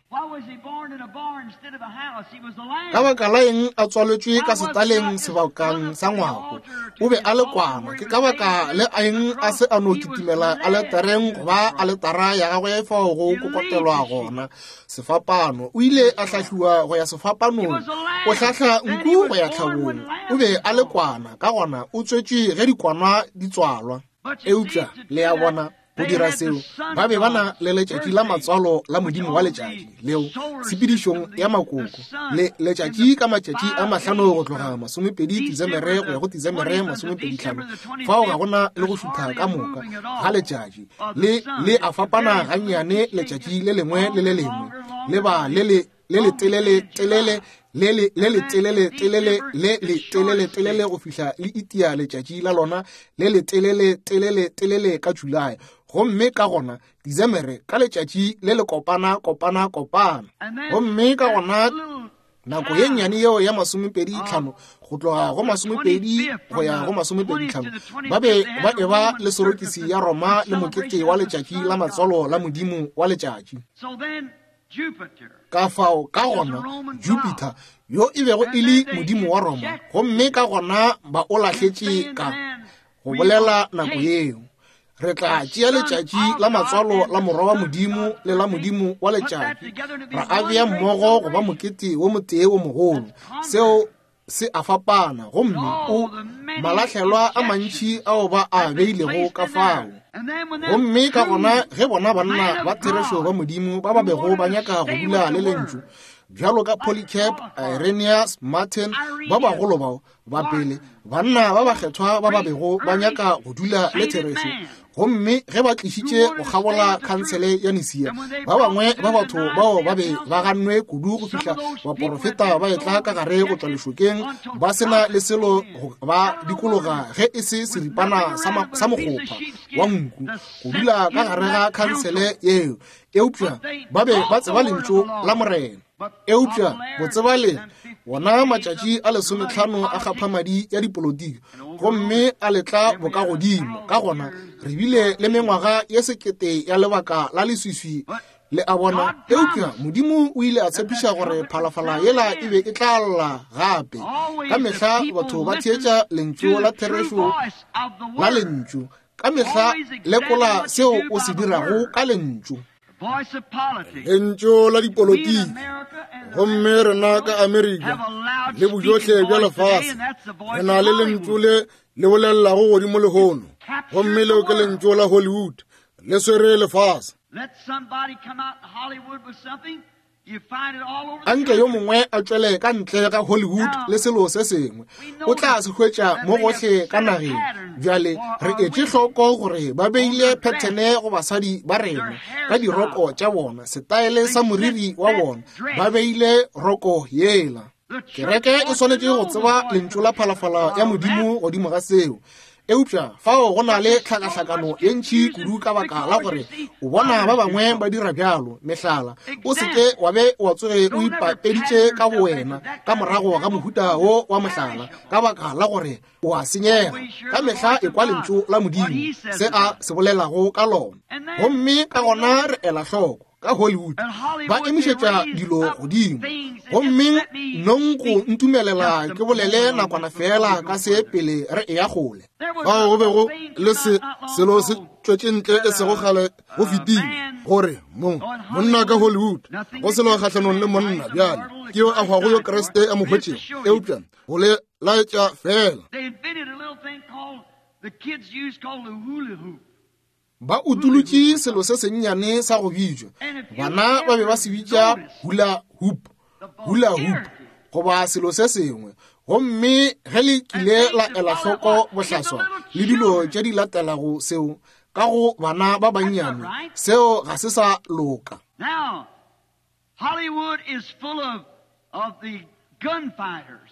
Ka baka la eng a tswaletšwe ka setaleng sebakang sa ngwako? O be a le kwana. Ke ka baka le eng a se a no kitimela aletareng goba aletara ya gagwe fao go kokotelwa gona? Sefapano. O ile a hlahliwa go ya sefapanong. O hlahla nku go ya tlhabong. O be a le kwana, ka gona o tswetšwe ge dikwana di tswalwa. Eupša, le a bona, go dira seo ba be ba na le letšatši la matswalo la modimo wa letšatši leo tshepedišong ya makoko le letšatši ka matšatši a mahlano go tloga masomepedi Disemere go ya go Disemere masomepeditlhano. Fao ga gona le go šutha ka moka ga letšatši, le le a fapana gannyane letšatši le lengwe le le lengwe, le ba le le le le telele telele le le le le telele telele le le telele telele go fihla le itia letšatši la lona le le telele telele telele ka July, gomme ka gona Disemere ka letšatši le le kopana kopana kopana, gomme ka gona nako ye nnyane yeo ya masomepedi tlhano go tloga go masomepedi go ya go masomepedi tlhano ba be ba eba le sorokisi ya Roma le mokete wa letšatši la matswalo la modimo wa letšatši. Ka fao ka gona Jupiter yo e bego e le modimo wa Roma, gomme ka gona ba o lahletše ka go bolela nako yeo, re tla tšea letšatši la matswalo la morwa wa Modimo le la modimo wa letšatši, ra a bea mmogo go ba mokete wo motee wo mogolo. Seo se a fapana, gomme o malahlelwa a mantši ao ba a beilego ka fao. Gomme ka gona ge bona banna ba therešo ba Modimo ba ba bego ba nyaka go dula le Lentšu, bjalo ka Polycarp, Irenaeus, Martin, ba bagolo bao ba pele, banna ba bakgethwa ba ba bego ba nyaka go dula le therešo, gomme ge ba tlišitše go kgabola khansele ya Nisia, ba bangwe ba batho bao ba be ba gannwe kudu go fihla baporofeta ba etla ka gare go tšwa lešokeng ba se na le selo go ba dikologa ge e se seripana sa mokgopha wa nku go dula ka gare ga khansele yeo, eupša ba be ba tseba lentšu la Morena. Eupša botsebaleng wona matšatši a lesometlhano a kgaphamadi ya dipolotiki gomme a letla bokagodimo, ka gona re bile le mengwaga ye sekete ya lebaka la leswiswi, le a bona. Eupša Modimo o ile a tshepiša gore phalafala yela e be e tla lla gape. Ka mehla batho ba theetša lentšu la therešo la lentšu. Ka mehla lekola seo o se dirago ka lentšu. Lentšu la dipolotiki, gomme rena ka Amerika le bojohle bja lefase re na le lentšu le le bolelelago godimo lehono, gomme leo ke lentšu la Hollywood, le swere lefase. Anke yo mongwe a tšwele ka ntle ga Hollywood le selo se sengwe, o tla se hwetša mo gohle ka nageng. Bjale re etše hloko gore ba beile phethene go basadi ba rena ka diroko tša bona, setaele sa moriri wa bona, ba beile roko yela. Kereke e swanetše go tseba lentšu la phalafala ya Modimo godimo ga seo. Eupša fao go na le tlhakahlakano ye ntši kudu ka baka la gore o bona ba bangwe ba dira bjalo. Mehlala, o se ke wa be wa tsoge o ipapeditše ka bowena ka morago ga mohuta wo wa mohlala, ka baka la gore o a senyega. Ka mehla ekwa Lentšu la Modimo, se A se bolelago ka lona. Gomme ka gona re ela hloko ka Hollywood, ba emišetša dilo godimo. Gomme nong go ntumelela ke bolele nakwana feela ka se pele re eya kgole. Fao go be go le se, selo se tšwetše ntle e sego kgale go fetile, gore mo, monna ka Hollywood, go selo kgahlanong le monna bjale, ke yo a hwago yo Kriste a mo hwetšego, eupša go le laetša feela. Ba utolotše selo se sennyane sa go bitšwa, bana ba be ba se bitša hula hoop, hula hoop, goba selo se sengwe. Gomme ge le kile la ela hloko bohlaswa le dilo tše di latelago seo ka go bana ba bannyane, seo ga se sa loka. Now, Hollywood is full of, of the gunfighters.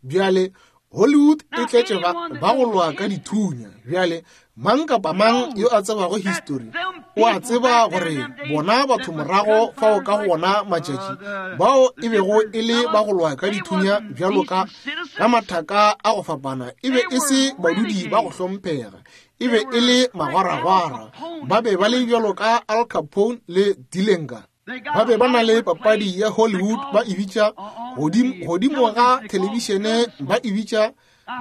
Bjale, Hollywood e tletše ba, ba go lwa ka dithunya. Bjale, mang kapa mang yo a tsebago histori o a tseba gore bona batho morago fao ka go wona matšatši bao e bego e le ba go lwa ka dithunya bjalo ka ka mathaka a go fapana e be e se badudi ba go hlomphega, e be e le magwaragwara. Ba be ba le bjalo ka Al Capone le Dillinger. Ba be ba na le papadi ya Hollywood ba e bitša godimo, godimo ga thelebišene ba e bitša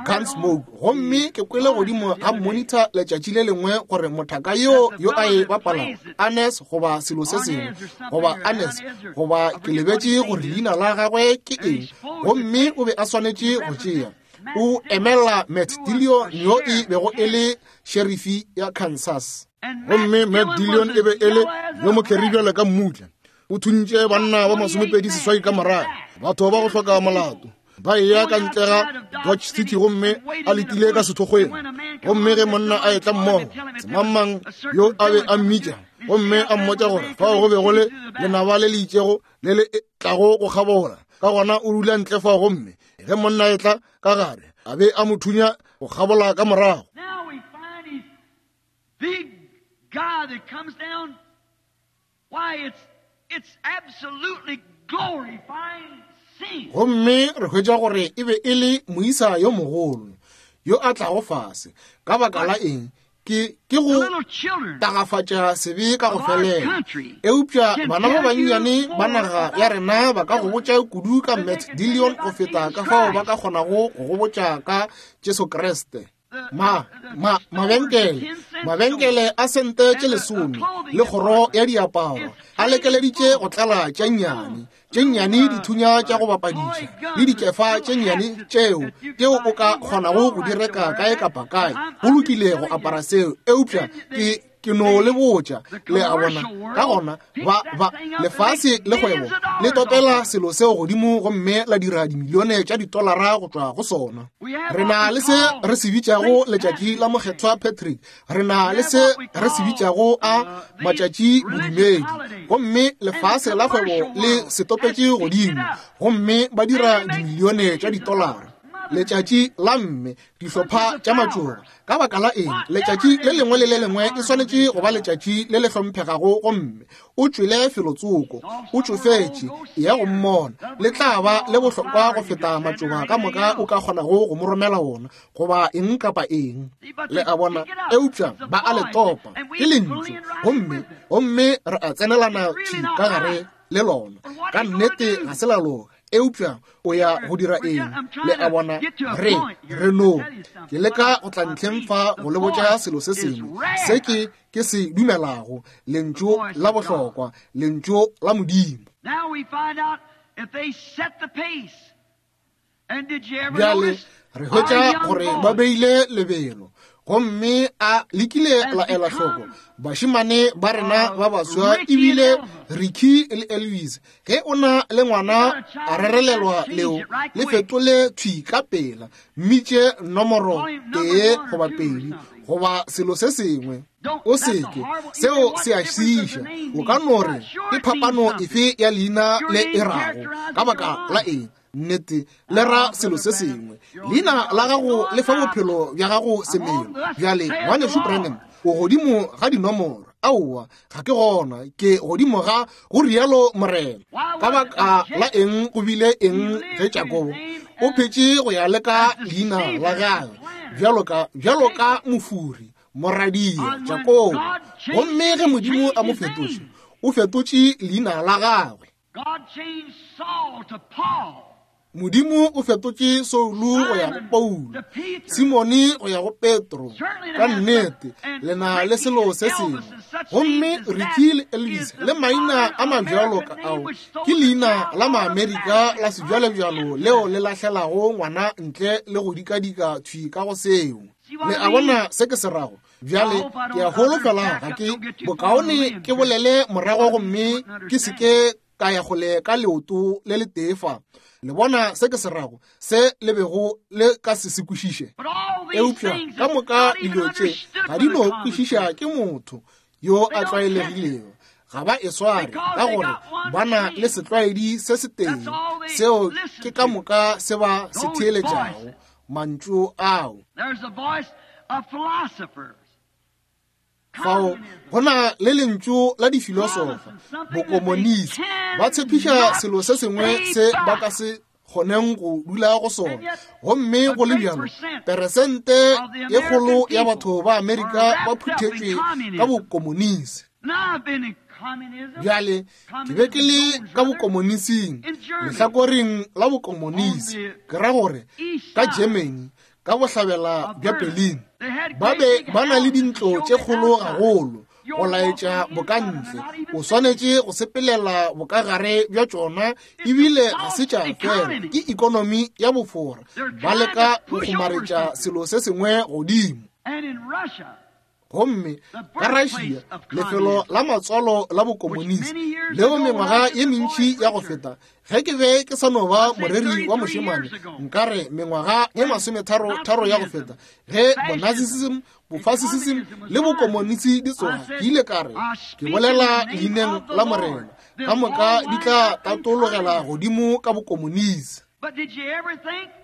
Gunsmoke. Gomme ke kwele godimo ga monitor letšatši le lengwe gore mothaka yo yo a e bapalago, Arnes goba selo se sengwe, goba Arnes, goba ke lebetše gore leina la gagwe ke eng, gomme o be a swanetše go tšea, o emela Matt Dillon yo e bego e le sherifi ya Kansas. Gomme Matt Dillon e be e le yo mokheri bjale ka mmutla. O thuntše banna ba masomepedi seswai ka morago, batho ba go hloka molato, ba eya ka ntle ga Dodge City gomme a letile ka sethokgweng. Gomme ge monna a etla mmogo, semangmang yo a be a mmitša, gomme a mmotša gore fao go be go le lenaba le le itšego le le tlago go kgabola, ka gona o dula ntle fao, gomme ge monna a etla ka gare, a be a mo thunya go kgabola ka morago. Big guy that comes down, why, it's, it's absolutely glorifying sin. Gomme re hwetša gore e be e le moisa yo mogolo yo a tlago fase. Ka baka la eng? Ke, ke go tagafatša sebe ka go felela. Eupša bana ba bannyane ba naga ya rena ba ka go botša kudu ka Matt Dillon go feta ka fao ba ka kgonago go go botša ka Jesu Kriste. Ma, ma, mabenkele, mabenkele a sente tše lesome le kgoro ya diaparo a lekeleditše go tlala tša nnyane, tše nnyane dithunya tša go bapadiša le dikefa tše nnyane tšeo, tšeo o ka kgonago go di reka kae kapa kae. Go lokile go apara seo, eupša ke, ke no le botša, le a bona. Ka gona ba, ba, lefase le kgwebo le topela selo seo godimo gomme la dira dimilione tša ditolara go tšwa go sona. Re na le se re se bitšago letšatši la Mokgethwa Patrick, re na le se re se bitšago a matšatši bodumedi, gomme lefase la kgwebo le se topetše godimo gomme ba dira dimilione tša ditolara. Letšatši la mme, dihlopha tša matšoba. Ka baka la eng, letšatši le lengwe le le lengwe e swanetše go ba letšatši le le hlomphegago, gomme o tšwele felotsoko, o tšofetše, eya go mmona. Le tla ba le bohlokwa go feta matšoba ka moka o ka kgonago go mo romela wona, goba eng kapa eng. Le a bona? Eupša ba a le topa, ke lentšu, gomme, gomme re a tsenelana thwi ka gare le lona. Ka nnete ga se la loka. Eupša o ya go dira eng? Le a bona, re, re no. Ke leka go tla ntlheng fa go le botša selo se sengwe se ke, ke se dumelago, Lentšu la bohlokwa, Lentšu la Modimo. Bjale re hwetša gore ba beile lebelo, gomme a le kile la ela hloko bašemane ba rena ba baswa, ebile Ricky le Elvis. Ge o na le ngwana a rerelelwa leo, le fetole thwi ka pela, mmitše nomoro 1 goba 2 goba selo se sengwe. O seke, seo se a šiiša. O ka no re, ke phapano efe ya leina le e rago? Ka baka la eng? Nnete, le ra selo se sengwe. Leina la gago le fa bophelo bja gago semelo. Bjale, Ngwanešu Branham, o godimo ga dinomoro. Aowa, ga ke gona. Ke godimo ga go rialo Morena. Ka baka la eng go bile eng ge Jakobo o phetše go ya le ka leina la gagwe bjalo ka, bjalo ka mofuri, moradia, Jakobo. Gomme ge Modimo a mo fetotše, o fetotše leina la gagwe. Modimo o fetotše Saulo go ya go Paulo, Simone go ya go Petro. Ka nnete, le na le selo se sengwe. Gomme Ricky le Elvis le maina a mabjalo ka ao ke leina la Maamerika la sebjalebjalo leo le lahlelago ngwana ntle le go dikadika thwi ka go seo. Le a bona se ke se rago? Bjale ke a holofela ga ke bokaone ke bolele morago gomme ke se ke ka ya kgole ka leoto le letee fa. Le bona se ke se rago, se le bego le ka se se kwešiše. Eupša ka moka dilo tše ga di no kwešiša ke motho yo a tlwaelegilego. Ga ba e sware ka gore ba na le setlwaedi se setee, seo ke ka moka se ba se theeletšago, mantšu ao. Fao go na le lentšu la difilosofa, bokomonisi, ba tshepiša selo se sengwe se ba ka se kgoneng go dula go sona. Gomme go le bjalo, peresente ye kgolo ya batho ba Amerika ba phuthetšwe ka bokomonisi. Bjale, ke be ke le ka bokomonising, lehlakoreng la bokomonisi, ke ra gore ka Germany, ka bohlabela bja Berlin. Ba be ba na le dintlo tše kgolo gagolo go laetša bokantle. O swanetše go sepelela bokagare bja tšona, ebile ga se tša fela. Ke ekonomi ya bofora. Ba leka go kgomaretša selo se sengwe godimo. Gomme ka Russia, lefelo la matswalo la bokomonisi, leo mengwaga ye mentši ya go feta, ge ke be ke sa no ba moreri wa mošemane, nka re mengwaga ye masometharo-tharo ya go feta, ge bonazism, bofascism le bokomonisi di tsoga, ke ile ka re, ke bolela leineng la Morena, ka moka di tla tatologela godimo ka bokomonisi.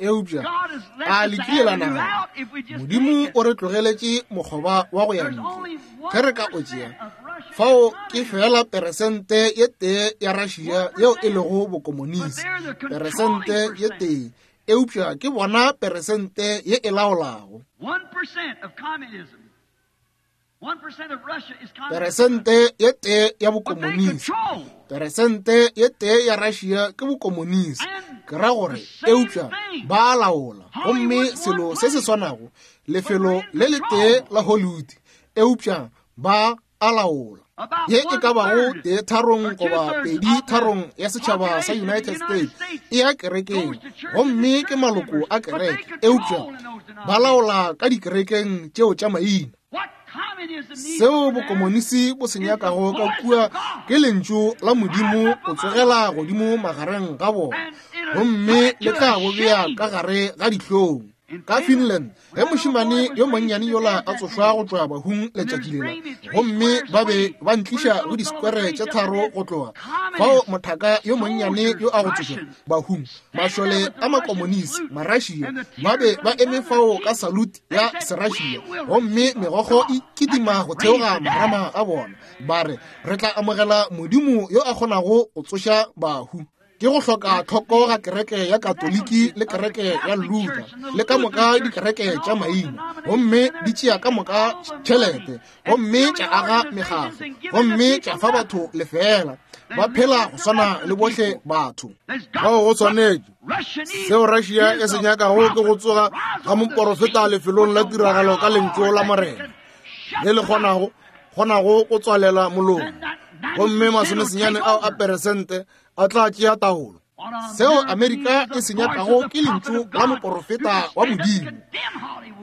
Eupša a le kile la nagana, Modimo o re tlogeletše mokgoba wa go ya ntle ge re ka o tšea? Fao ke feela peresente ye tee ya Russia yeo e lego bokomonisi, peresente ye tee, eupša ke bona peresente ye e laolago. Peresente ye tee ya bokomonisi, peresente ye tee ya Russia ke bokomonisi, ke ra gore, eupša ba laola. Gomme selo se se swanago, lefelo le letee la Hollywood, eupša ba a laola. Ye e ka bago tee tharong goba pedi tharong ya setšhaba sa United States e ya kerekeng, gomme ke maloko a kereke, eupša ba laola ka dikerekeng tšeo tša maina. Seo bokomonisi bo se nyakago ka kua ke lentšu la Modimo go tsogela godimo magareng ga bona, gomme le tla bo bea ka gare ga dihlong. Ka Finland, ge mošemane yo monnyane yola a tsošwa go tšwa bahung letšatši lela, gomme ba be ba ntliša go disekwere tše tharo go tloga fao mothaka yo monnyane yo a go tsošwa bahung, mašole a makomonisi, Marussia, ba be ba eme fao ka salute ya Serussia, gomme megokgo e kitima go theoga marama a bona, ba re, Re tla amogela Modimo yo a kgonago go tsoša bahu. Ke go hloka tlhoko ga kereke ya Katoliki le kereke ya Luther le ka moka dikereke tša maina, gomme di tšea ka moka tšhelete, gomme tša aga mekgatlo, gomme tša fa batho lefeela, ba phela go swana le bohle batho. Bao go swanetše. Seo Russia e se nyakago ke go tsoga ga moporofeta lefelong la tiragalo ka lentšu la Morena le le kgonago kgonago go tswalela molomo, gomme masomesenyane ao a peresente a tla tšea taolo. Seo Amerika e se nyakago ke lentšu la moporofeta wa Modimo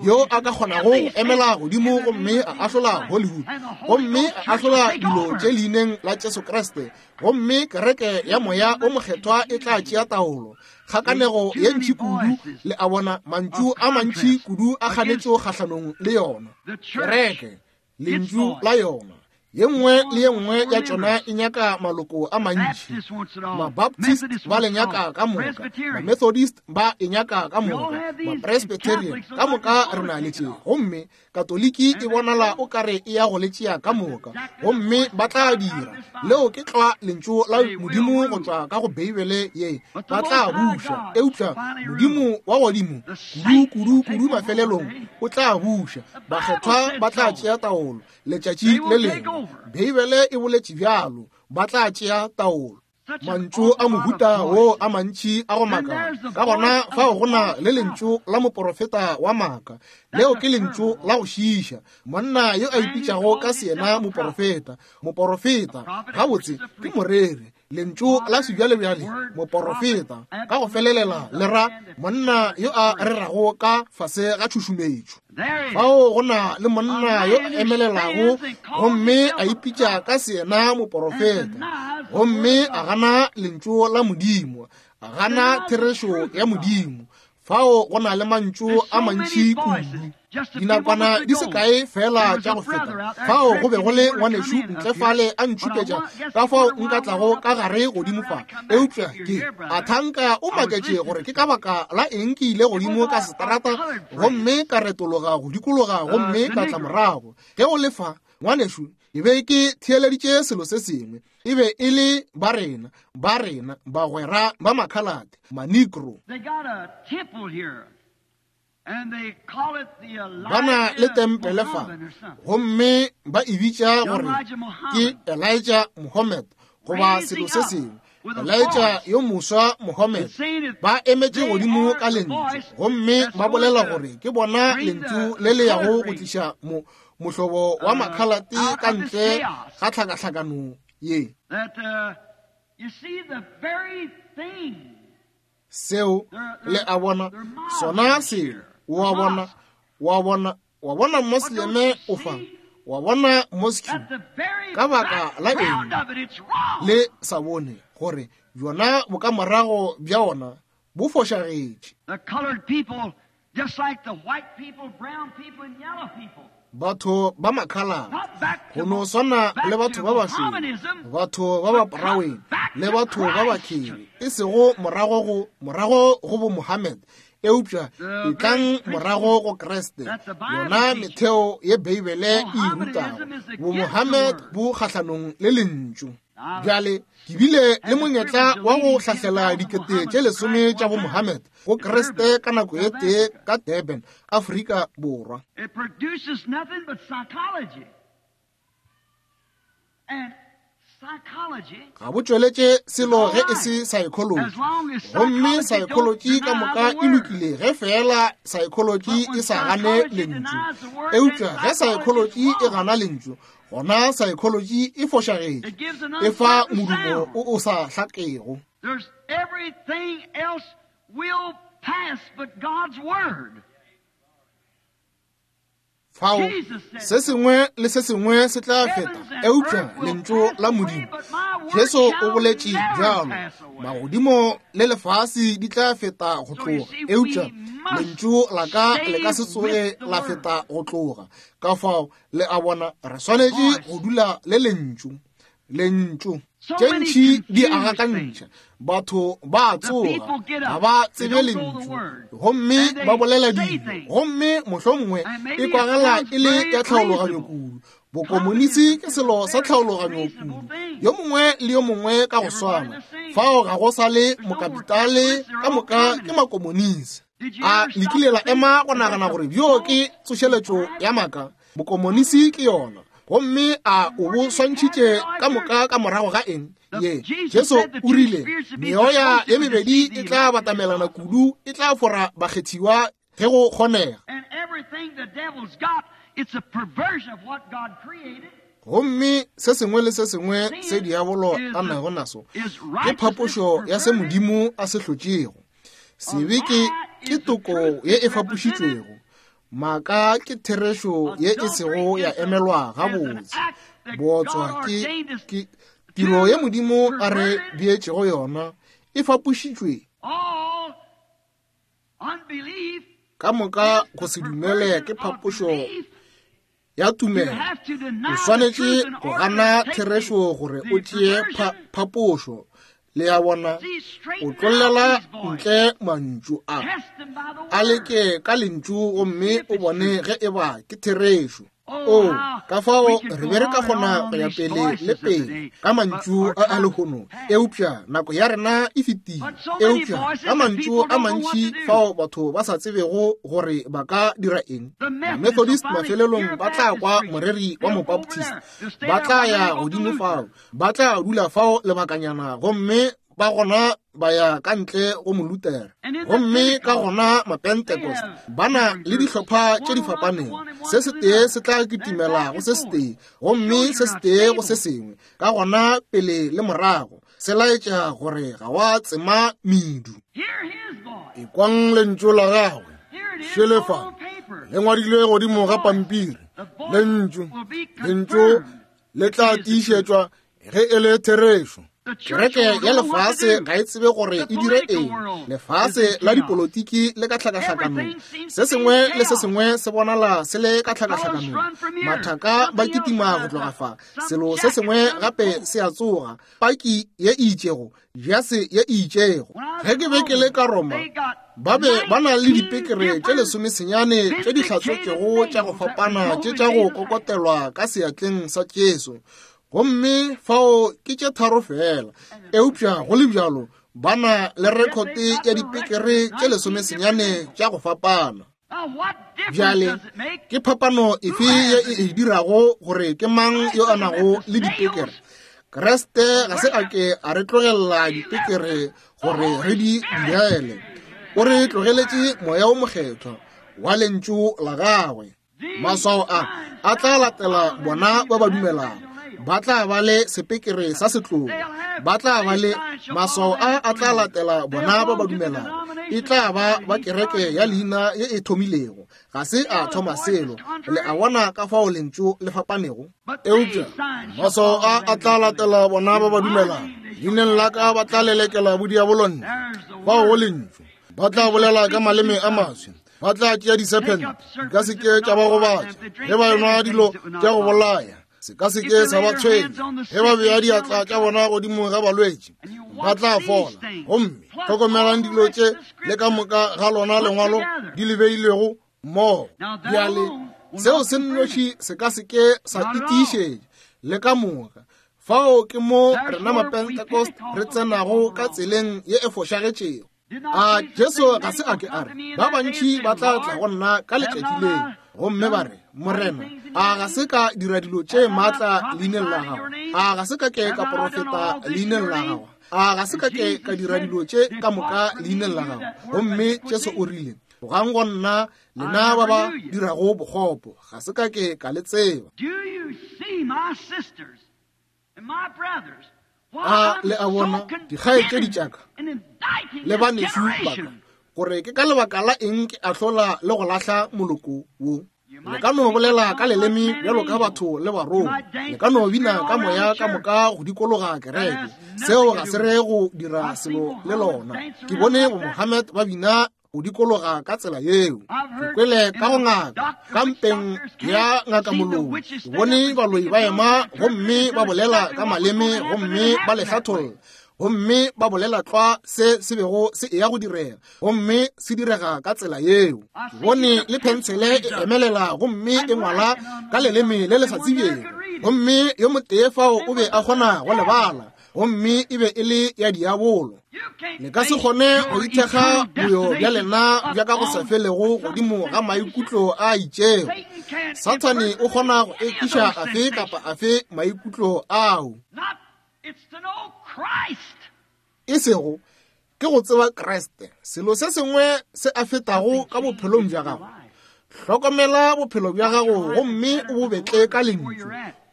yo a ka kgonago go emela godimo gomme a ahlola Hollywood, gomme a ahlola dilo tše leineng la Jesu Kriste, gomme kereke ya Moya o Mokgethwa e tla tšea taolo. Kgakanego ye ntši kudu, le a bona, mantšu a mantši kudu a kganetšo kgahlanong le yona. Kereke, lentšu la yona. Ye nngwe le ye nngwe ya tšona e nyaka maloko a mantši. Mabaptist ba le nyaka ka moka, Mamethodist ba e nyaka ka moka, Mapresbyterian ka moka re na le tše. Gomme Katoliki e bonala o ka re e ya go le tšea ka moka, gomme ba tla dira. Leo ke tlwa Lentšu la Modimo go tšwa ka go Beibele ye. Ba tla buša, eupša Modimo wa godimo kudu, kudu, kudu mafelelong o tla buša. Bakgethwa ba tla tšea taolo letšatši le lengwe. Beibele e boletše bjalo, ba tla tšea taolo. Mantšu a mohuta wo a mantši a go makala. Ka gona fao go na le lentšu la moporofeta wa maaka. Leo ke lentšu la go šiiša. Monna yo a ipitšago ka seyena moporofeta. Moporofeta, gabotse, ke moreri. Lentšu la sebjalebjale, moporofeta, ka go felelela le ra monna yo a rerago ka fase ga tšhušumetšo. Fao go na le monna yo a emelelago gomme a ipitša ka seyena moporofeta, gomme a gana lentšu la Modimo, a gana therešo ya Modimo. Fao go na le mantšu a mantši kudu. Dinakwana di se kae feela tša go feta, fao go be go le ngwanešu ntle fale a ntšhupetša ka fao nka tlago ka gare godimo fa. Eupša ke a thanka o maketše gore ke ka baka la eng ke ile godimo ka seterata gomme ka retologa go dikologa gomme ka tla morago. Ge o le fa, ngwanešu, ke be ke theeleditše selo se sengwe. E be e le ba rena, ba rena, bagwera ba makhalate, Manigro. They got a temple here. Ba na le tempele fa, gomme ba e bitša gore ke Elijah Muhammad goba selo se sengwe. Elijah yo moswa Muhammad. Ba emetše godimo ka lentšu, gomme ba bolela gore ke bona lentšu le le yago go tliša mo, mohlobo wa makhalate ka ntle ga tlhakahlakano ye. Seo, le a bona, sona selo, o a bona, wa bona, wa bona Mosleme o fa, wa bona mosque, ka baka la eng le sa bone gore bjona bokamorago bja ona bo fošagetše? Batho ba makhalate, go no swana le batho ba bašweu, batho ba ba poraweng le batho ba bakheri, e sego morago go, morago go bo Mohammed, eupša etlang morago go Kriste, yona metheo ye Beibele e e rutago. Bo Mohammed bo kgahlanong le Lentšu. Bjale, ke bile le monyetla wa go hlahlela 10000 tša bo-Mohammed go Kriste ka nako e tee ka Durban, Afrika Borwa. It produces nothing but psychology. And psychology Ga bo tšweletše selo ge e se psychology. Gomme psychology ka moka e lokile ge feela psychology e sa gane Lentšu. Eupša ge psychology e gana Lentšu, gona saekholoji e fošagetše, e fa modumo o o sa hlakego. There's everything else will pass but God's word. Fao se sengwe le se sengwe se tla feta eupša lentšu la Modimo. Jesu o boletše bjalo, magodimo le lefase di tla feta go tloga, eupša lentšu la ka le ka se tsoge la feta go tloga. Ka fao Le a bona, re swanetše go dula le Lentšu. Lentšu. Tše ntši di a gakantšha. Batho ba a tsoga, ga ba tsebe Lentšu, gomme ba bolela dilo, gomme mohlomongwe e kwagala e le ya tlhaologanyo kudu. Bokomonisi ke selo sa tlhaologanyo kudu. Yo mongwe le yo mongwe ka go swana. Fao ga go sa le mokapitale, ka moka ke makomonisi. A le kile la ema go nagana gore bjo ke tsošeletšo ya maaka? Bokomonisi ke yona. Gomme a o bo swantšhitše ka moka ka morago ga eng? Ye, Jesu o rile, meoya ye mebedi e tla batamelana kudu, e tla fora bakgethiwa ge go kgonega. Gomme se sengwe le se sengwe se diabolo a nago naso ke phapošo ya se Modimo a se hlotšego. Sebe ke, ke toko ye e fapošitšwego. Maaka ke therešo ye e sego ya emelwa gabotse. Bootswa ke, ke tiro ye Modimo a re beetšego yona, e fapošitšwe. Ka moka go se dumele ke phapošo. ya tumelo. O swanetše go gana therešo gore o tšee phapošo. Le a bona, o tlollela ntle mantšu a. A leke ka lentšu gomme o bone ge e ba ke therešo. O, ka fao re be re ka kgona go ya pele le pele ka mantšu a a lehono, eupša nako ya rena e fetile. Eupša ka mantšu a mantši fao batho ba sa tsebego gore ba ka dira eng. Methodist mafelelong ba tla kwa moreri wa Mobaptist, ba tla ya godimo fao, ba tla dula fao lebakanyana gomme ba gona ba ya ka ntle go Molutere. Gomme ka gona Mapentecost ba na le dihlopha tše di fapanego, se setee se tla kitimela go se setee gomme se setee go se sengwe, ka gona pele le morago, se laetša gore ga wa tsema medu. Ekwang lentšu la gagwe, šelefa le ngwadilwe godimo ga pampiri, lentšu, lentšu le tla tiišetšwa ge e le therešo. Kereke ya lefase ga e tsebe gore e dire eng. Lefase la dipolotiki le ka tlhakahlakanong. Se sengwe le se sengwe se bonala se le ka tlhakahlakanong. Mathaka ba kitima go tloga fa. Selo se sengwe gape se a tsoga. Paki ye e itšego, jase ye e itšego. Ge ke be ke le ka Roma, ba be ba na le dipekere tše lesomesenyane tše di hlatswetšego tša go fapana tše tša go kokotelwa ka seatleng sa Jesu. Gomme fao ke tše tharo fela, eupša go le bjalo ba na le rekhote ya dipekere tše lesomesenyane tša go fapana. Bjale ke phapano efe ye e e dirago gore ke mang yo a nago le dipekere? Kriste ga se a ke a re tlogelela dipekere gore re di direle. O re tlogeletše Moya wo Mokgethwa wa Lentšu la gagwe. Maswao a a tla latela bona ba ba dumelago. Ba tla ba le sepekere sa setlogo. Ba tla ba le maswao a a tla latela bona ba ba dumelago. E tla ba ba kereke ya leina ye e thomilego. Ga se a thoma selo. Le a bona ka fao lentšu le fapanego? Eupša maswao a a tla latela bona ba ba dumelago. Leineng la ka ba tla lelekela bodiabolonne. Fao go lentšu. Ba tla bolela ka maleme a maswi. Ba tla tšea disephente, di ka se ke tša ba gobatša. Ge ba enwa dilo tša go bolaya, se ka se ke sa ba tshwenya. Ge ba bea diatla tša bona godimo ga balwetši, ba tla fola. Gomme hlokomelang dilo tše le ka moka ga lona lengwalo di le beilego mmogo. Bjale seo se nnoši se ka se ke sa itiišetša le ka moka. Fao ke mo rena Mapentecost re tsenago ka tseleng ye e fošagetšego. A Jesu ga se a ke a re, ba bantši ba tla tla go nna ka letšatši leo, gomme ba re, Morena, a ga se ka dira dilo tše maatla leineng la gago? A ga se ka ke ka porofeta leineng la gago? A ga se ka ke ka dira dilo tše ka moka leineng la gago? Gomme Jesu o rile, Tlogang go nna, lena ba ba dirago bokgopo, ga se ka ke ka le tseba. Do you see my sisters and my brothers? A le a bona dikgaetšedi tša ka le banešu ba ka gore ke ka lebaka la eng ke ahlola le go lahla moloko wo? Le ka no bolela ka leleme bjalo ka batho le barongwa, le ka no bina ka moya ka moka go dikologa kereke, seo ga se re go dira selo le lona. Ke bone bo Mohammed ba bina go dikologa ka tsela yeo. Ke kwele ka go ngaka, ka mpeng ya ngaka moloi, ke bone baloi ba ema gomme ba bolela ka maleme gomme ba le hlatholla, gomme ba bolela tlwa se se bego se eya go direga, gomme se direga ka tsela yeo. Ke bone le phentshele e emelela gomme e ngwala ka leleme le le sa tsebjego, gomme yo motee fao o be a kgona go le bala, gomme e be e le ya diabolo. Le ka se kgone go ithekga boyo bja lena bja ka go sa felego godimo ga maikutlo a itšego. Sathane o kgona go ekiša afe kapa afe maikutlo ao. E sego ke go tseba Kriste, selo se sengwe se a fetago ka bophelong bja gago. Hlokomela bophelo bja gago gomme o bo betle ka lentšu,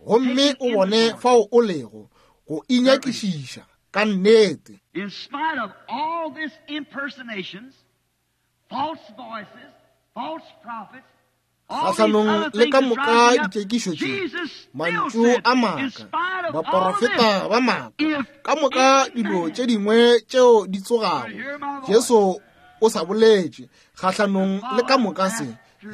gomme o bone fao o lego, go inyakišiša ka nnete. In spite of all this impersonations, false voices, false prophets, Kgahlanong le ka moka dikekišo tše, mantšu a maaka, baporofeta ba maaka, ka moka dilo tše dingwe tšeo di tsogago, Jesu o sa boletše kgahlanong le ka moka se.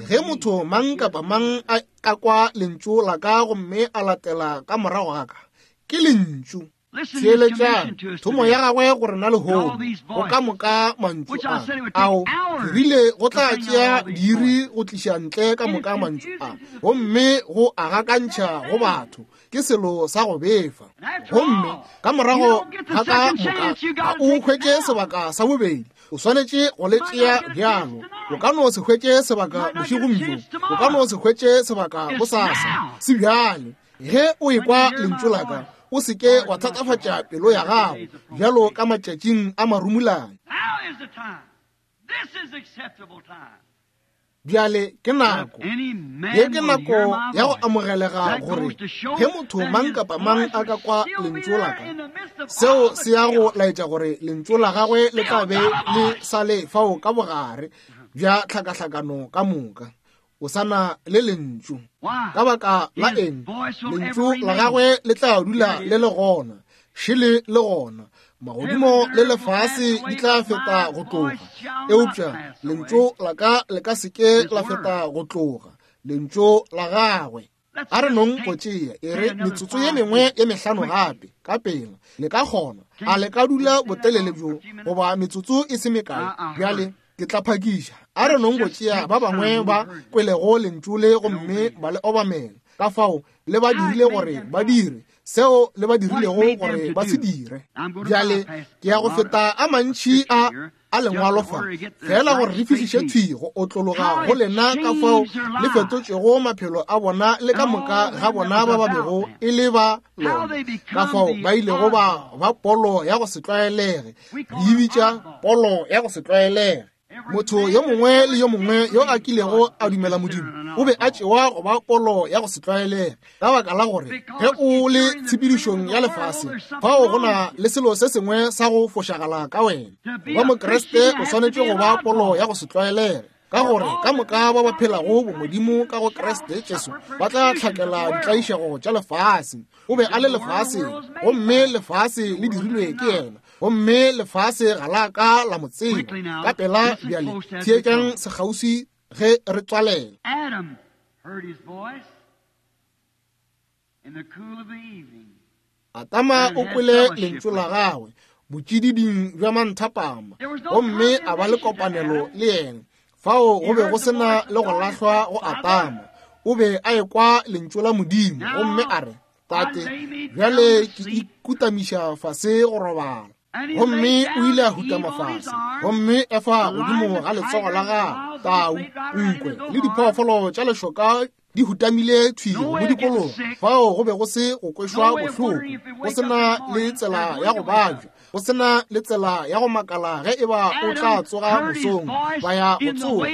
Ge motho mang kapa mang a ka kwa lentšu la ka gomme a latela ka morago ga ka, ke lentšu. Theeletšang thomo ya gagwe go rena lehono, go ka moka mantšu a ao ke rile go tla tšea diiri go tliša ntle ka moka mantšu a, gomme go a gakantšha go batho ke selo sa go befa. Gomme ka morago ga ka moka ga o hwetše sebaka sa bobedi, o swanetše go le tšea bjalo. O ka no se hwetše sebaka bošegong bjo, o ka no se hwetše sebaka bosasa, se bjale. Ge o ekwa lentšu la ka, o se ke wa thatafatša pelo ya gago bjalo ka matšatšing a marumulane. Bjale ke nako ye, ke nako ya go amogelega gore ge motho mang kapa mang a ka kwa lentšu la ka, seo se ya go laetša gore lentšu la gagwe le tla be le sa le fao ka bogare bja tlhakahlakano ka moka. O sa na le lentšu. Ka baka la eng? Lentšu la gagwe le tla dula le le gona, šele le gona. Magodimo le lefase di tla feta go tloga, eupša lentšu la ka le ka se ke la feta go tloga. Lentšu la gagwe. A re nong go tšea e re metsotso ye mengwe ye mehlano gape ka pela. Le ka kgona, a le ka dula botelele bjo goba metsotso e se mekae? Bjale ke tla phakiša. A re nong go tšea ba bangwe ba kwelego lentšu le gomme ba le obamela. Ka fao le ba dirile gore ba dire seo le ba dirilego gore ba se dire. Bjale ke ya go feta a mantši a a lengwalo fa, fela gore re fihliše thwi go otlologa go lena ka fao le fetotšego maphelo a bona le ka moka ga bona ba ba bego e le ba lona, ka fao ba ilego ba ba polo ya go se tlwaelege. Re e bitša polo ya go se tlwaelege. Motho yo mongwe le yo mongwe yo a kilego a dumela Modimo o be a tšewa go ba polo ya go se tlwaelege, ka baka la gore ge o le tshepedišong ya lefase fao go na le selo se sengwe sa go fošagala ka wena. Go ba Mokriste o swanetše go ba polo ya go se tlwaelege, ka gore ka moka ba ba phelago bomodimo ka go Kriste Jesu ba tla hlakela ditlaišego tša lefase. O be a le lefaseng, gomme lefase le dirilwe ke yena, gomme lefase ga la ka la mo tseba. Ka pela bjale theetšang sekgauswi ge re tswalela. Adam heard his voice in the cool of the evening. Adama o kwele lentšu la gagwe botšididing bja manthapama, gomme a ba le kopanelo le yena. Fao go be go se na le go lahlwa go Adama. O be a ekwa lentšu la Modimo, gomme a re, Tate, bjale ke ikutamiša fase go robala. Gomme o ile a hutama fase, gomme Efa godimo ga letsogo la gagwe, tau, nkwe le diphoofolo tša lešoka di hutamile thwi go mo dikologa. Fao go be go se go kwešwa bohloko, go se na le tsela ya go babja, go se na le tsela ya go makala ge e ba o tla tsoga mosong ba ya go tsoga.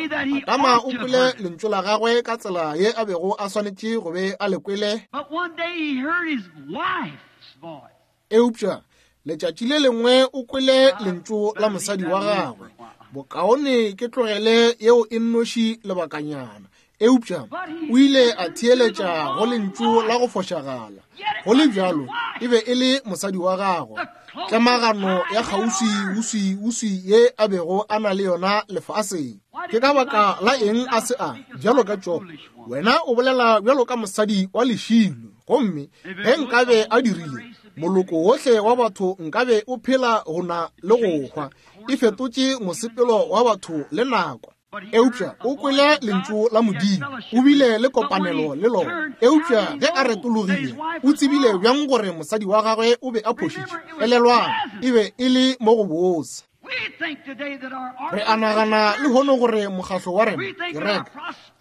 Adama o kwele lentšu la gagwe ka tsela ye a bego a swanetše go be a le kwele. But one day he heard his wife's voice. Eupša letšatši le lengwe o kwele lentšu la mosadi wa gagwe. Bokaone ke tlogele yeo e nnoši lebakanyana. Eupša o ile a theeletša go lentšu la go fošagala. Go le bjalo, e be e le mosadi wa gagwe. Tlemagano ya kgauswi-uswi-uswi ye a bego a na le yona lefaseng. Ke ka baka la eng a se a bjalo ka Job? Wena o bolela bjalo ka mosadi wa lešilo. Gomme ge nkabe a dirile, moloko wohle wa batho nkabe o phela go na le go hwa. E fetotše mosepelo wa batho le nako. Eupša o kwele lentšu la Modimo, o bile le kopanelo le lona. Eupša ge a retologile, o tsebile bjang gore mosadi wa gagwe o be a phošitše? Elelwang, e be e le mo go botse. Re a nagana lehono gore mokgahlo wa rena, kereke,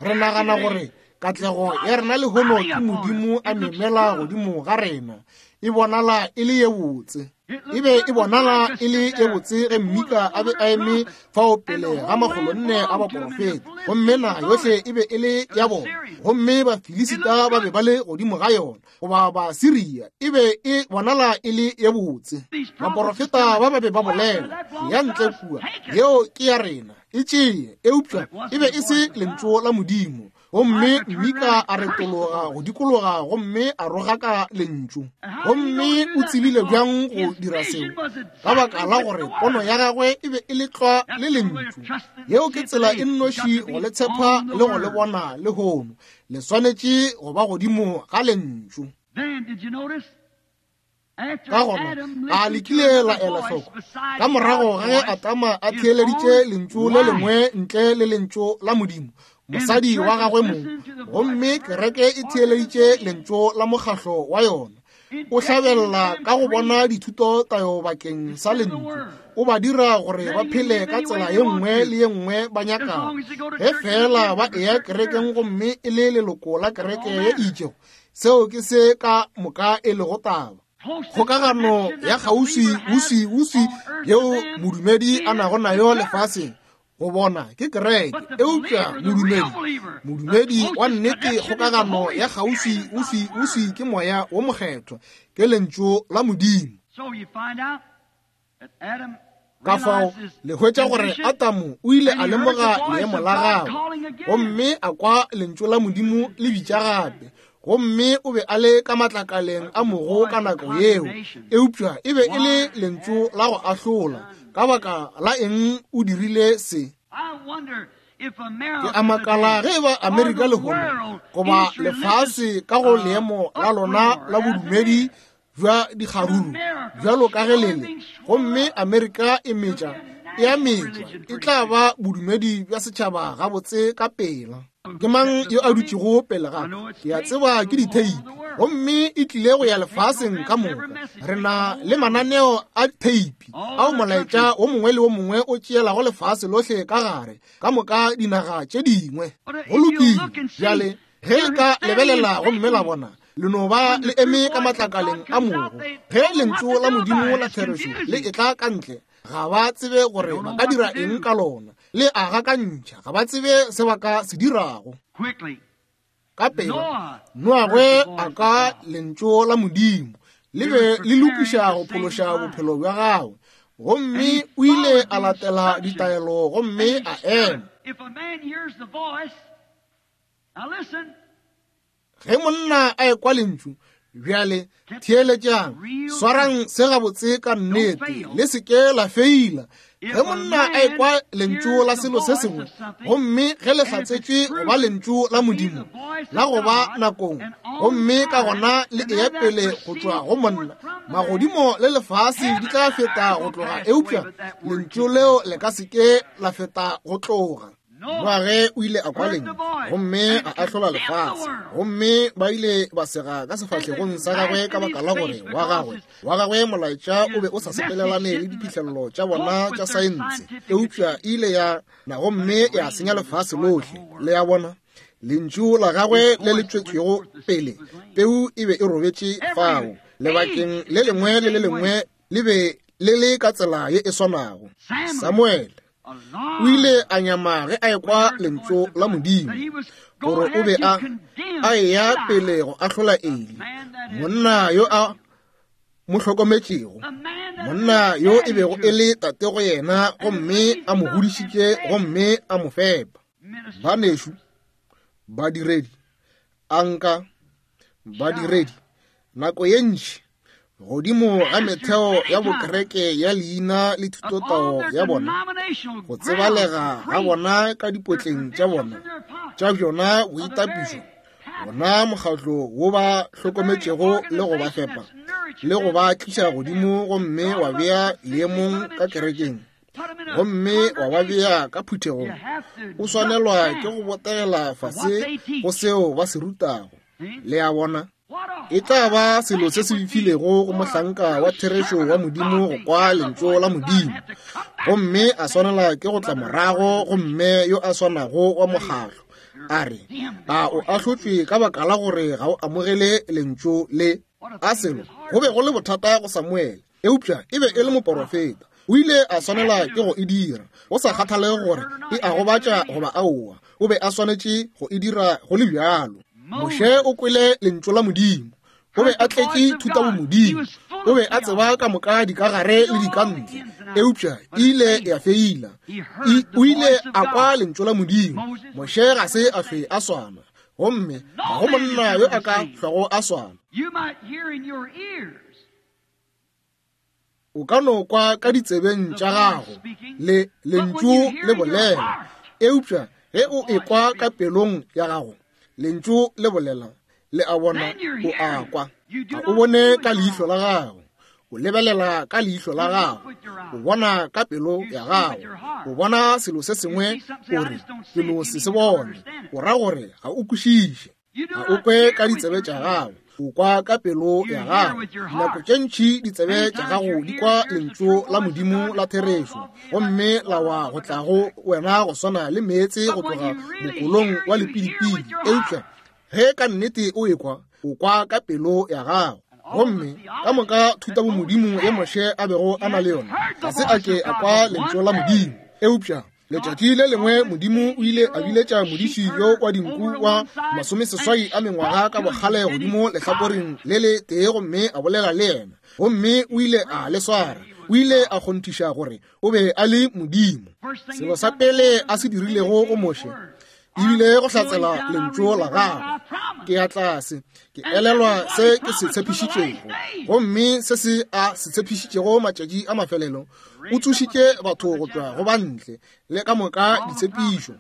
re nagana gore katlego ya rena lehono ke Modimo a memela godimo ga rena. E bonala e le ye botse. E be e bonala e le ye botse ge Mika a be a eme fao pele ga 400 a baporofeta, gomme naga yohle e be e le ya bona, gomme Bafilisita ba be ba le godimo ga yona, goba Basiria. E be e bonala e le ye botse. Baporofeta ba ba be ba bolela, ya ntle kua, yeo ke ya rena, e tšee. Eupša e be e se lentšu la Modimo. Gomme Mika a retologa go dikologa gomme a rogaka Lentšu. Gomme o tsebile bjang go dira seo? Ka baka la gore pono ya gagwe e be e le tlwa le Lentšu. Yeo ke tsela e nnoši go le tshepa le go le bona lehono. Le swanetše go ba godimo ga Lentšu. Ka gona, a le kile la ela hloko ka morago ga ge Adama a theeleditše lentšu le lengwe ntle le lentšu la Modimo, mosadi wa gagwe mong, gomme kereke e theeleditše lentšu la mokgahlo wa yona. O hlabelela ka go bona dithuto tayo bakeng sa lentšu, o ba dira gore ba phele ka tsela ye nngwe le ye nngwe ba nyakago, ge feela ba eya kerekeng gomme e le leloko la kereke ye e itšego. Seo ke se ka moka e lego taba. Kgokagano ya kgauswi-uswi-uswi yeo modumedi a nago nayo lefaseng go bona ke kereke, eupša modumedi, modumedi wa nnete, kgokagano ya kgauswi-uswi-uswi ke Moya wo Mokgethwa, ke Lentšu la Modimo. Ka fao le hwetša gore Adamo o ile a lemoga leemo la gagwe gomme a kwa lentšu la Modimo le bitša gape, gomme o be a le ka matlakaleng a mogo ka nako yeo, eupša e be e le lentšu la go ahlola. Ka baka la eng o dirile se? Ke a makala ge e ba Amerika lehono goba lefase ka go leemo la lona la bodumedi bja dikgaruru bjalo ka ge lele, gomme Amerika e metša e a metšwa, e tla ba bodumedi bja setšhaba gabotse ka pela. Ke mang yo a dutšego pele ga ka? Ke a tseba ke ditheipi, gomme e tlile go ya lefaseng ka moka. Re na le mananeo a theipi ao molaetša wo mongwe le wo mongwe o tšeelago lefase lohle ka gare, ka moka dinaga tše dingwe. Go lokile. Bjale, Ge le ka lebelela gomme la bona, le no ba le eme ka matlakaleng a mogo. Ge Lentšu la Modimo la therešo le etla ka ntle, ga ba tsebe gore ba ka dira eng ka lona. Le a gakantšha, ga ba tsebe se ba ka se dirago. Ka pela, Noagwe a ka Lentšu la Modimo le be le lokiša go phološa bophelo bja gagwe, gomme o ile a latela ditaelo gomme a ema. Ge monna a ekwa lentšu, bjale theeletšang, swarang se gabotse ka nnete, le se ke la feila. Ge monna a ekwa lentšu la selo se sengwe, gomme ge le hlatsetšwe go ba lentšu la Modimo la go ba nakong, gomme ka gona le eya pele go tšwa go monna, magodimo le lefase di tla feta go tloga, eupša lentšu leo le ka se ke la feta go tloga. Noage o ile a kwa lentšu gomme a ahlola lefase, gomme ba ile ba sega ka sefahlegong sa gagwe ka baka la gore wa gagwe wa gagwe molaetša o be o sa sepelelane le diphihlelelo tša bona tša saense, eupša e ile ya na gomme ya senya lefase lohle. Le a bona, lentšu la gagwe le le tšwetšwego pele, peu e be e robetše fao lebakeng le lengwe le le lengwe le be le le ka tsela ye e swanago. Samuele o ile a nyama ge a ekwa lentšu la Modimo gore o be a a eya pele go ahlola Eli, monna yo a mo hlokometšego, monna yo e bego e le tate go yena, gomme a mo godišitše gomme a mo fepa. Banešu, badiredi, a nka badiredi nako ye ntši godimo ga metheo ya bokereke ya leina le thutotao ya bona, go tsebalega ga bona ka dipotleng tša bona tša bjona boitapišo, bona mokgatlo wo ba hlokometšego le go ba fepa le go ba tliša godimo gomme wa bea leemong ka kerekeng gomme wa ba bea ka phuthegong, o swanelwa ke go botegela fase go seo ba se rutago. Le a bona? E tla ba selo se se befilego go mohlanka wa therešo wa Modimo go kwa lentšu la Modimo gomme a swanela ke go tla morago go mme yo a swanago wa mokgahlo a re, A o ahlotšwe ka baka la gore ga o amogele lentšu le? A selo go be go le bothata go Samuele, eupša e be e le moporofeta. O ile a swanela ke go e dira, go sa kgathalege gore e a gobatša goba aowa, o be a swanetše go e dira go le bjalo. Moshe o kwele lentšu la Modimo. O be a tletše thutabomodimo, o be a tseba ka moka dikagare le dikantle, eupša e ile ya feila. O ile a kwa lentšu la Modimo. Moshe ga se a hlwe a swana, gomme ga go monna yo a ka hlwago a swana. O ka no kwa ka ditsebeng tša gago le lentšu le bolela, eupša ge o ekwa ka pelong ya gago lentšu le bolela, le a bona, o a kwa. Ga o bone ka leihlo la gago, o lebelela ka leihlo la gago, o bona ka pelo ya gago, o bona selo se sengwe, o re, ke no se se bone, o ra gore ga o kwešiše. Ga o kwe ka ditsebe tša gago, o kwa ka pelo ya gago. Dinako tše ntši ditsebe tša gago di kwa lentšu la Modimo la therešo, gomme la wa go tla go wena go swana le meetse go tloga mokolong wa lepidipidi. Eupša ge ka nnete o ekwa, o kwa ka pelo ya gago. Gomme ka moka thutabomodimo ye Moshe a bego a na le yona, ga se a ke a kwa lentšu la Modimo. Eupša letšatši le lengwe Modimo o ile a biletša modiši yo wa dinku wa 80 a mengwaga ka bokgale godimo lehlakoreng le le tee gomme a bolela le yena, gomme o ile a le swara. O ile a kgonthiša gore o be a le Modimo. Selo sa pele a se dirilego go Moshe ebile go hlatsela lentšu la gagwe. Ke ya tlase, ke elelwa se ke se tshepišitšego, gomme se se a se tshepišitšego matšatši a mafelelo, o tsošitše batho go tšwa go bantle le ka moka ditshepišo.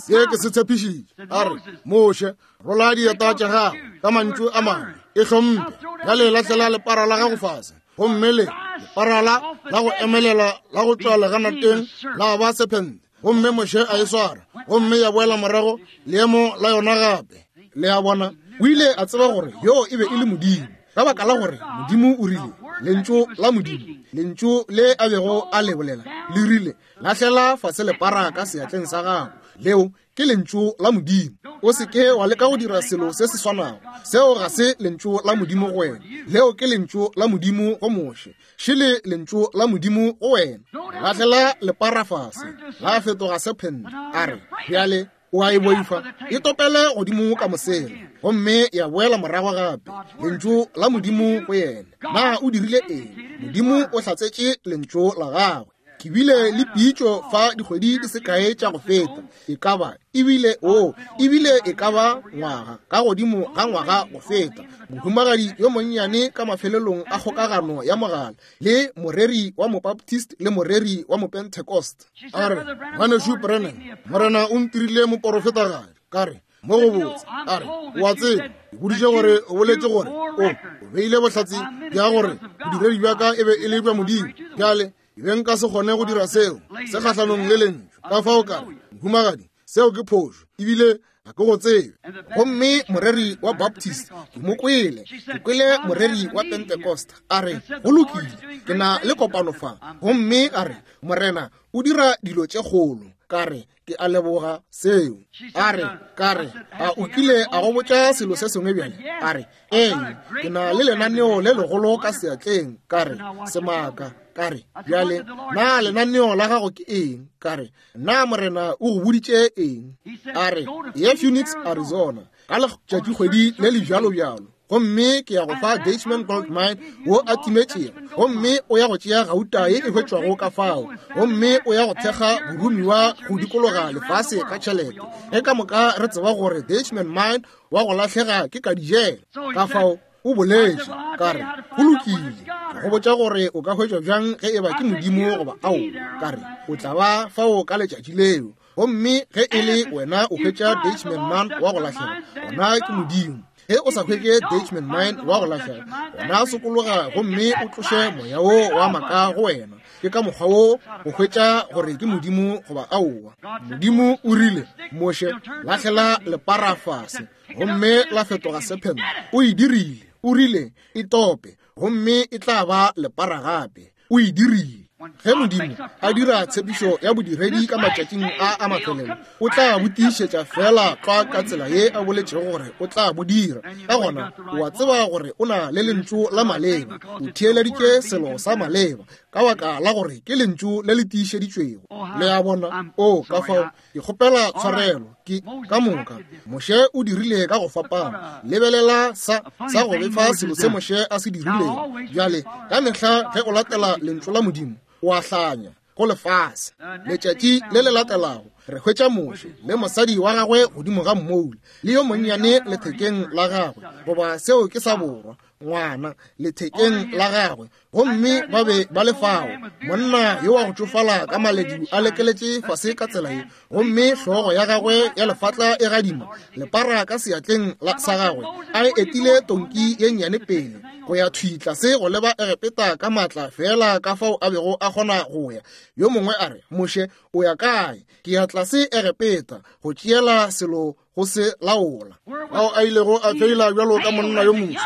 Se ke se tshepišitše, a re, Moshe, rola dieta tša gago, ka mantšu a mangwe, e hlomphe, bjale lahlela lepara la gago fase, gomme le lepara la la go emelela la go tšwa leganateng la ba sephente. Gomme Moshe a e swara, gomme ya boela morago leemo la yona gape. Le a bona, o ile a tseba gore yoo e be e le Modimo, ka baka la gore Modimo o rile, lentšu la Modimo, lentšu le a bego a le bolela, le rile, lahlela fase lepara ka seatleng sa gago. Leo ke lentšu la Modimo. O se ke wa leka go dira selo se se swanago. Seo ga se lentšu la Modimo go wena. Leo ke lentšu la Modimo go Moshe. Šele lentšu la Modimo go wena. Lahlela lepara fase, la fetoga sephente. A re, bjale o a e boifa, e topele godimo ka mosela, gomme ya boela morago gape. Lentšu la Modimo go yena. Na o dirile eng? Modimo o hlatsetše lentšu la gagwe. Ke bile le pitšo fa dikgwedi di se kae tša go feta, e ka ba ebile o ebile e ka ba ngwaga ka godimo ga ngwaga go feta, mohumagadi yo monnyane ka mafelelong a kgokagano ya mogala le moreri wa Mobaptist le moreri wa Mopentecost. A re, Ngwanešu Branham, Morena o ntirile moporofetagadi. Ka re, mo go botse. A re, o a tseba, ke boditše gore o boletše gore o beile bohlatse bja gore bodiredi bja ka e be e le bja Modimo. Bjale ke be nka se kgone go dira seo se kgahlanong le lentšu. Ka fao ka re, mohumagadi, seo ke phošo, ebile ga ke go tsebe. Gomme moreri wa Baptist ke mo kwele, ke kwele moreri wa Pentecost a re, go lokile, ke na le kopano fa. Gomme a re, Morena o dira dilo tše kgolo. Ka re, ke a leboga seo. A re, ka re, a o kile a go botša selo se sengwe bjale? A re, ee, ke na le lenaneo le legolo ka seatleng. Ka re, semaka. Ka re, bjale, na lenaneo la gago ke eng? Ka re, na Morena o go boditše eng? A re, ye Phoenix, Arizona, ka letšatšikgwedi le le bjalo bjalo, gomme ke ya go fa Dutchman Gold Mine wo a timetšego, gomme o ya go tšea gauta ye e hwetšwago ka fao, gomme o ya go thekga boromiwa go dikologa lefase ka tšhelete. Ge ka moka re tseba gore Dutchman Mine wa go lahlega ke ka dijela. Ka fao o boletše. Ka re, go lokile, ke go botša gore o ka hwetšwa bjang ge e ba ke Modimo goba ao. Ka re, o tla ba fao ka letšatši leo. Gomme ge e le wena o hwetša Dutchman Mine wa go lahlega, gona ke Modimo. Ge o sa hwetše Dutchman Mine wa go lahlega, gona sokologa gomme o tloše moya wo wa maaka go wena. Ke ka mokgwa wo go hwetša gore ke Modimo goba aowa. Modimo o rile, Moshe, lahlela lepara fase, gomme la fetoga sephente. O e dirile. O rile, E tope, gomme e tla ba lepara gape. O e dirile. Ge Modimo a dira tshepišo ya bodiredi ka matšatšing a a mafelelo, o tla bo tiišetša feela tlwa ka tsela ye a boletšego gore o tla bo dira. Ka gona o a tseba gore o na le lentšu la maleba, o theeleditše selo sa maleba. ka baka la gore ke lentšu le le tiišeditšwego. Le a bona? O, ka fao, ke kgopela tshwarelo, ke, ka moka. Moshe o dirile ka go fapana. Lebelela sa, sa go befa selo se Moshe a se dirilego. Bjale, ka mehla ge o latela lentšu la Modimo, o a hlanya go lefase. Letšatši le le latelago, re hwetša Moshe le mosadi wa gagwe godimo ga mmoula, le yo monnyane lethekeng la gagwe, goba seo ke sa borwa, ngwana lethekeng la gagwe, gomme ba be ba le fao. Monna yo wa go tšofala ka maledu a lekeletše fase ka tsela ye, gomme hlogo ya gagwe ya lefatla e gadima, lepara ka seatleng sa gagwe, a etile tonki ye nnyane pele go ya thwi tlase go leba Egepeta ka maatla feela ka fao a bego a kgona go ya. Yo mongwe a re, Moshe, o ya kae? Ke ya tlase Egepeta go tšeela selo go se laola. Ao a ilego a feila bjalo ka monna yo moso,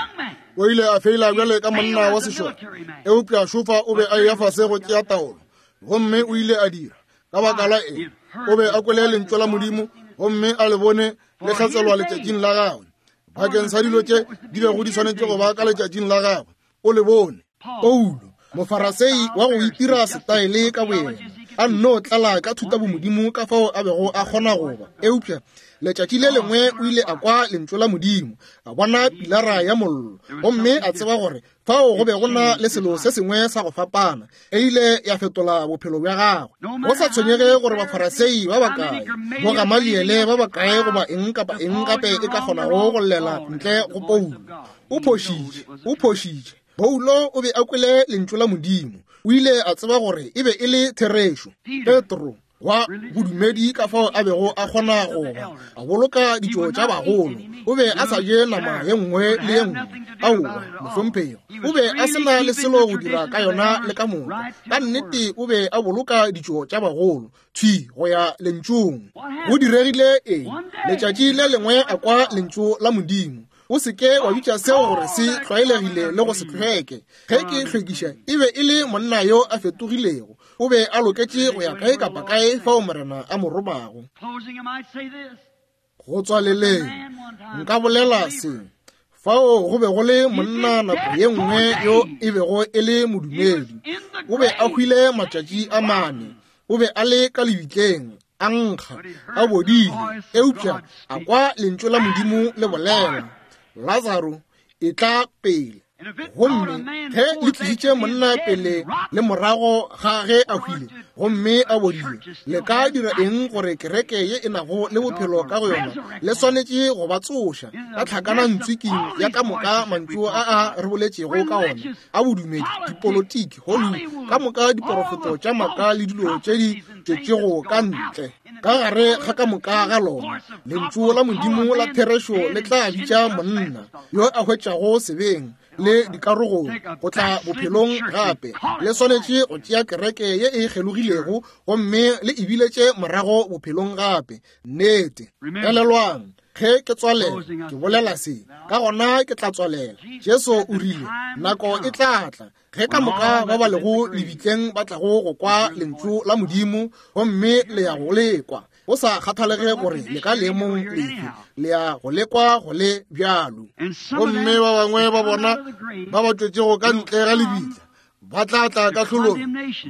o ile a feila bjale ka monna wa sešole, eupša šofa o be a eya fase go tšea taolo, gomme o ile a dira. Ka baka la eng? O be a kwele lentšu la Modimo gomme a le bone le hlatselwa letšatšing la gagwe. Bakeng sa dilo tše di bego di swanetše go ba ka letšatšing la gagwe, o le bone. Paulo, Mofarasei wa go itira setaele ka boyena, a nno tlala ka thutabomodimo ka fao a bego a kgona go ba, eupša letšatši le lengwe o ile a kwa lentšu la Modimo, a bona pilara ya mollo, gomme a tseba gore fao go be go na le selo se sengwe sa go fapana. E ile ya fetola bophelo bja gagwe. Go sa tshwenyege gore Bafarasei ba bakae, bo Gamaliele ba bakae, goba eng kapa eng gape e ka kgonago go llela ntle go Paulo, o phošitše, o phošitše. Paulo o be a kwele lentšu la Modimo. O ile a tseba gore e be e le therešo. Petro, wa bodumedi ka fao a bego a kgona go ba, a boloka ditšo tša bagolo, o be a sa je nama ye nngwe le ye nngwe. Aowa, mohlomphegi, o be a se na le selo go dira ka yona le ka moka. Ka nnete o be a boloka ditšo tša bagolo, thwi go ya lentšung. Go diregile eng? Letšatši le lengwe a kwa lentšu la Modimo. O se ke wa bitša seo gore se tlwaelegile le go se hlweke. Ge ke hlwekiša, e be e le monna yo a fetogilego. O be a loketše go ya kae kapa kae fao Morena a mo romago. Go tswaleleng, nka bolela se. Fao go be go le monna nako ye nngwe yo e bego e le modumedi. O be a hwile matšatši a mane. O be a le ka lebitleng, a nkga, a bodile, eupša a kwa lentšu la Modimo le bolela, Lazaro, etla pele. Gomme ge le tlišitše monna pele le morago ga ge a hwile gomme a bodile, le ka dira eng gore kereke ye e nago le bophelo ka go yona le swanetše go ba tsoša ka tlhakanantswiking ya ka moka mantšu a a re boletšego ka ona a bodumedi, dipolotiki, Hollywood, ka moka diporofeto tša maaka le dilo tše di tšwetšego ka ntle ka gare ga ka moka ga lona. Lentšu la Modimo la therešo le tla bitša monna yo a hwetšago sebeng le dikarogong go tla bophelong gape. Le swanetše go tšea kereke ye e kgelogilego gomme le e biletše morago bophelong gape. Nnete. Elelwang, ge ke tswalela, ke bolela se, ka gona ke tla tswalela. Jesu o rile, nako e tla tla ge ka moka ba ba lego lebitleng ba tlago go kwa lentšu la Modimo, gomme le ya go le kwa, go sa kgathalege gore le ka leemong lefe, le ya go le kwa go le bjalo. Gomme ba bangwe ba bona ba ba tšwetšego ka ntle ga lebitla ba tla tla kahlolong,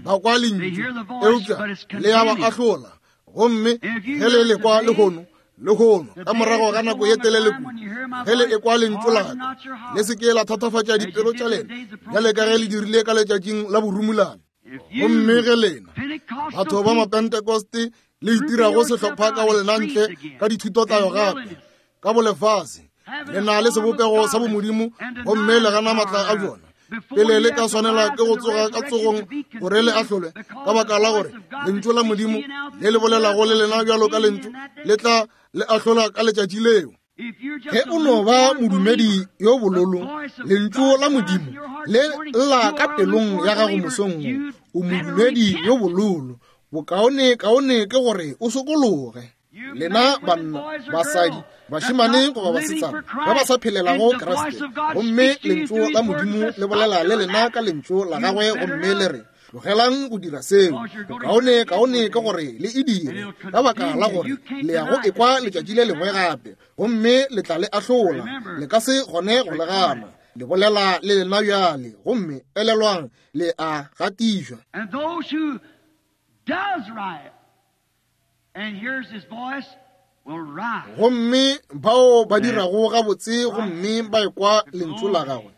ba kwa lentšu, eupša le ya ba ahlola. Gomme ge le lekwa lehono, lehono ka morago ga nako ye telele kudu, ge le ekwa lentšu la ka, le se ke la thatafatša dipelo tša lena bjale ka ge le dirile ka letšatšing la borumulane. Gomme ge lena batho ba Mapentekoste le itirago sehlopha ka go lena ntle ka dithutotayo gape ka bolefase, le na le sebopego sa bomodimo gomme le gana maatla a bjona, pele le ka swanela ke go tsoga ka tsogong gore le ahlolwe, ka baka la gore lentšu la Modimo le le bolelago le lena bjalo ka lentšu le tla le ahlola ka letšatši leo. Ge o no ba modumedi yo bololo, lentšu la Modimo le lla ka pelong ya gago mosong wo, o modumedi yo bololo, bokaone kaone ke gore o sokologe. Lena banna, basadi, bašemane goba basetsana ba ba sa phelelago Kriste, gomme lentšu la Modimo le bolela le lena ka lentšu la gagwe gomme le re, tlogelang go dira seo, bokaone kaone ke gore le e dire, ka baka la gore le ya go ekwa letšatši le lengwe gape, gomme le tla le ahlola, le ka se kgone go le gana. Le bolela le lena bjale, gomme elelwang, le a gatišwa. And those who does right and hears his voice will rise. Gomme bao ba dirago gabotse gomme ba ekwa lentšu la gagwe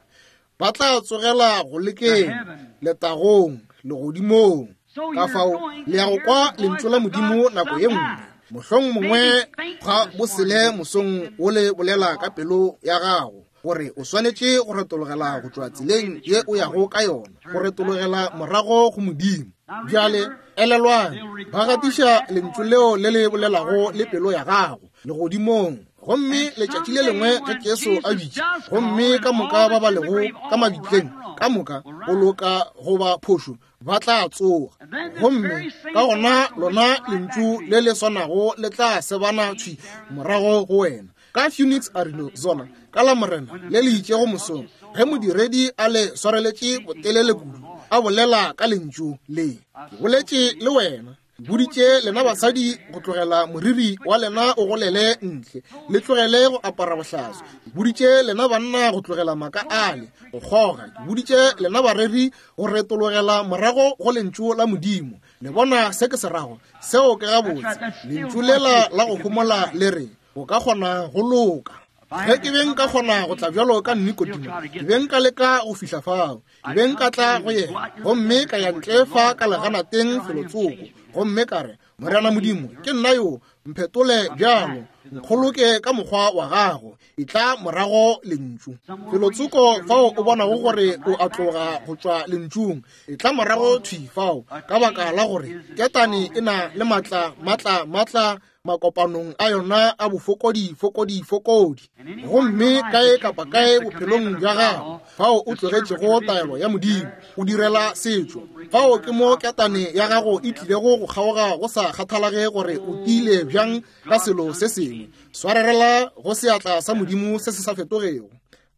ba tla tsogela go lekeng, letagong, legodimong. Ka fao le ya go kwa lentšu la Modimo nako ye nngwe, mohlong mongwe ga bosele mosong wo le bolela ka pelo ya gago gore o swanetše go retologela go tšwa tseleng ye o yago ka yona, go retologela morago go Modimo. Bjale elelwang, ba gatiša lentšu leo le le bolelago le pelo ya gago legodimong. Gomme letšatši le lengwe ge Jesu a bitša, gomme ka moka ba ba lego ka mabitleng, ka moka go loka goba phošo, ba tla tsoga. Gomme ka gona lona lentšu le le swanago le tla sebana thwi morago go wena. Ka Phoenix, Arizona, ka Lamorena le le itšego mosong, ge modiredi a le swareletše botelele kudu, a bolela ka lentšu le, ke boletše le wena. Boditše lena basadi go tlogela moriri wa lena o golele ntle, le tlogele go apara bohlaswa. Ke boditše lena banna go tlogela maka ale, go kgoga. Ke boditše lena bareri go retologela morago go lentšu la Modimo. Le bona se ke se rago? Seo ke gabotse. Lentšu lela la go homola le re, o ka kgona go loka. Ge ke be nka kgona go tla bjalo ka Nikodimo, ke be nka leka go fihla fao. Ke be nka tla go yena, gomme ka ya ntle fa ka leganateng felotsoko, gomme ka re, Morena Modimo, ke nna yo, mphetole bjalo, nkgoloke ka mokgwa wa gago, etla morago lentšu. Felotsoko fao o bonago gore o a tloga go tšwa lentšung, etla morago thwi fao, ka baka la gore ketane e na le maatla, maatla, maatla makopanong a yona a bofokodi, fokodi, fokodi. Gomme kae kapa kae bophelong bja gago fao o tlogetšego taelo ya Modimo o direla setšo, fao ke mo ketane ya gago e tlilego go kgaoga, go sa kgathalage gore o tiile bjang ka selo se sengwe. Swarerela go seatla sa Modimo se se sa fetogego.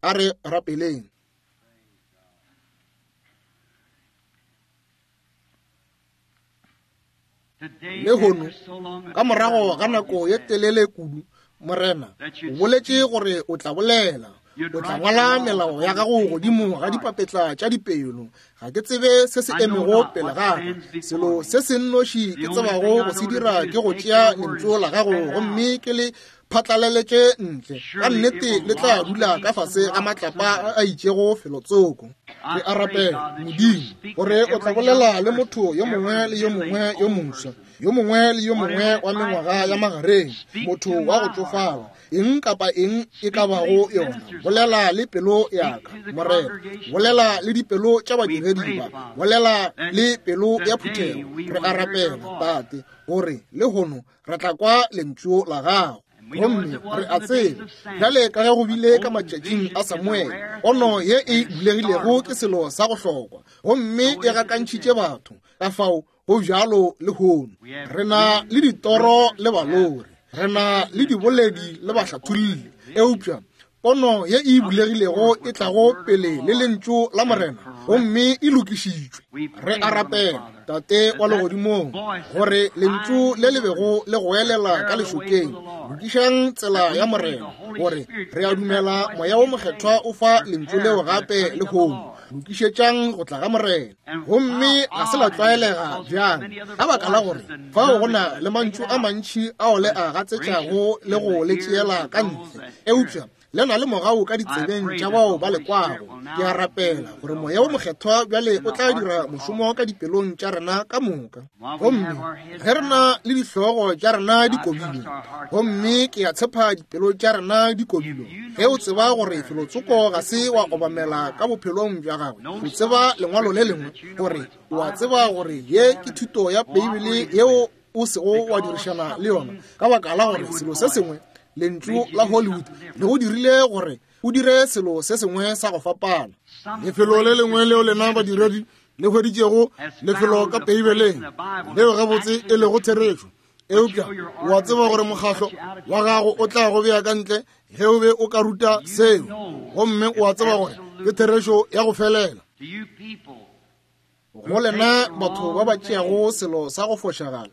A re rapeleng. Lehono, ka morago ga nako ye telele kudu, Morena, o boletše gore o tla bolela, o tla ngwala melao ya gago godimo ga dipapetla tša dipelo. Ga ke tsebe se se emego pele ga ka. Selo se se nnoši ke tsebago go se dira ke go tšea lentšu la gago gomme ke le phatlalaletše ntle. Ka nnete le tla dula ka fase ga matlapa a a itšego felotsoko. Ke a rapela, Modimo, gore o tla bolela le motho yo mongwe le yo mongwe yo moswa, yo mongwe le yo mongwe wa mengwaga ya magareng, motho wa go tšofala, eng kapa eng e ka bago yona. Bolela le pelo ya ka, Morena. Bolela le dipelo tša badiredi ba. Bolela le pelo ya phuthego. Re a rapela, Tate, gore lehono re tla kwa lentšu la gago. Gomme re a tseba bjale ka ge go bile ka matšatšing a Samuele, pono ye e bulegilego ke selo sa go hlokwa, gomme e gakantšhitše batho. Ka fao go bjalo lehono. Re na le ditoro le balori, re na le diboledi le bahlatholli, eupša pono ye e bulegilego e tlago pele le lentšu la Morena, gomme e lokišitšwe. Re a rapela, Tate wa legodimong, gore lentšu le le bego le goelela ka lešokeng, lokišang tsela ya Morena, gore re a dumela Moya wo Mokgethwa o fa lentšu leo gape lehono. Lokišetšang go tla ga Morena. Gomme ga se la tlwaelega bjang, ka baka la gore fao go na le mantšu a mantši ao le a gatsetšago le go le tšeela ka ntle, eupša le na le mogau ka ditsebeng tša bao ba le kwago. Ke a rapela gore Moya wo Mokgethwa bjale o tla dira mošomo ka dipelong tša rena ka moka. Gomme ge re na le dihlogo tša rena di kobilwe, gomme ke a tshepa dipelo tša rena di kobilwe, ge o tseba gore felotsoko ga se wa obamela ka bophelong bja gagwe, o tseba lengwalo le lengwe, gore o a tseba gore ye ke thuto ya Beibele yeo o sego wa dirišana le yona, ka baka la gore selo se sengwe, lentšu la Hollywood, le go dirile gore o dire selo se sengwe sa go fapana. Lefelo le lengwe leo lena badiredi le hweditšego lefelo ka Beibeleng leo gabotse e lego therešo, eupša o a tseba gore mokgahlo wa gago o tla go bea ka ntle ge o be o ka ruta seo, gomme o a tseba gore ke therešo ya go felela. Go lena batho ba ba tšeago selo sa go fošagala,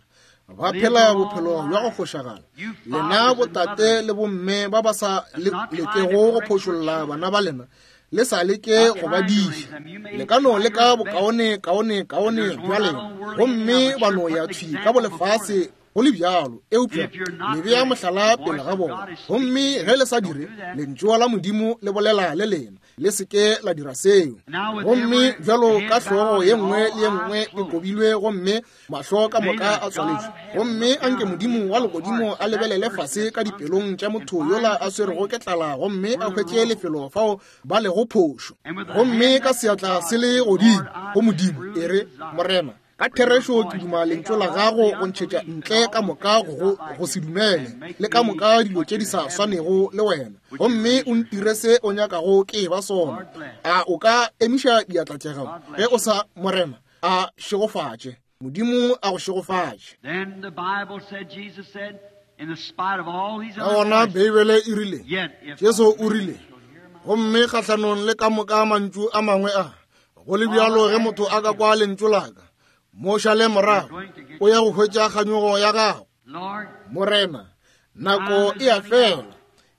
ba phela bophelo bja go fošagala, lena botate le bomme ba ba sa lekego go phošolla bana ba lena, Le sa leke go ba diša. Le ka no leka bokaone, kaone, kaone bja lena, gomme ba no ya thwi ka bolefase go le bjalo, eupša le bea mohlala pele ga bona. Gomme ge le sa dire, Lentšu la Modimo le bolela le lena, le se ke la dira seo. Gomme bjalo ka hlogo ye nngwe le ye nngwe e kobilwe gomme mahlo ka moka a tswaletšwe, gomme anke Modimo wa legodimo a lebelele fase ka dipelong tša motho yola a swerego ke tlala gomme a hwetše lefelo fao ba lego phošo. Gomme ka seatla se le godimo go Modimo, e re, Morena, ka therešo ke duma lentšu la gago go ntšhetša ntle ka moka go go se dumele le ka moka dilo tše di sa swanego le wena, gomme o ntire se o nyakago ke ba sona. A o ka emiša diatla tša gago ge o sa? Morena a šegofatše. Modimo a go šegofatše. Ka gona Beibele e rile, Jesu o rile, gomme kgahlanong le ka moka mantšu a mangwe a, go le bjalo ge motho a ka kwa lentšu la ka, mo šale morago, o ya go hwetša kganyogo ya gago. Morena, nako e a fela.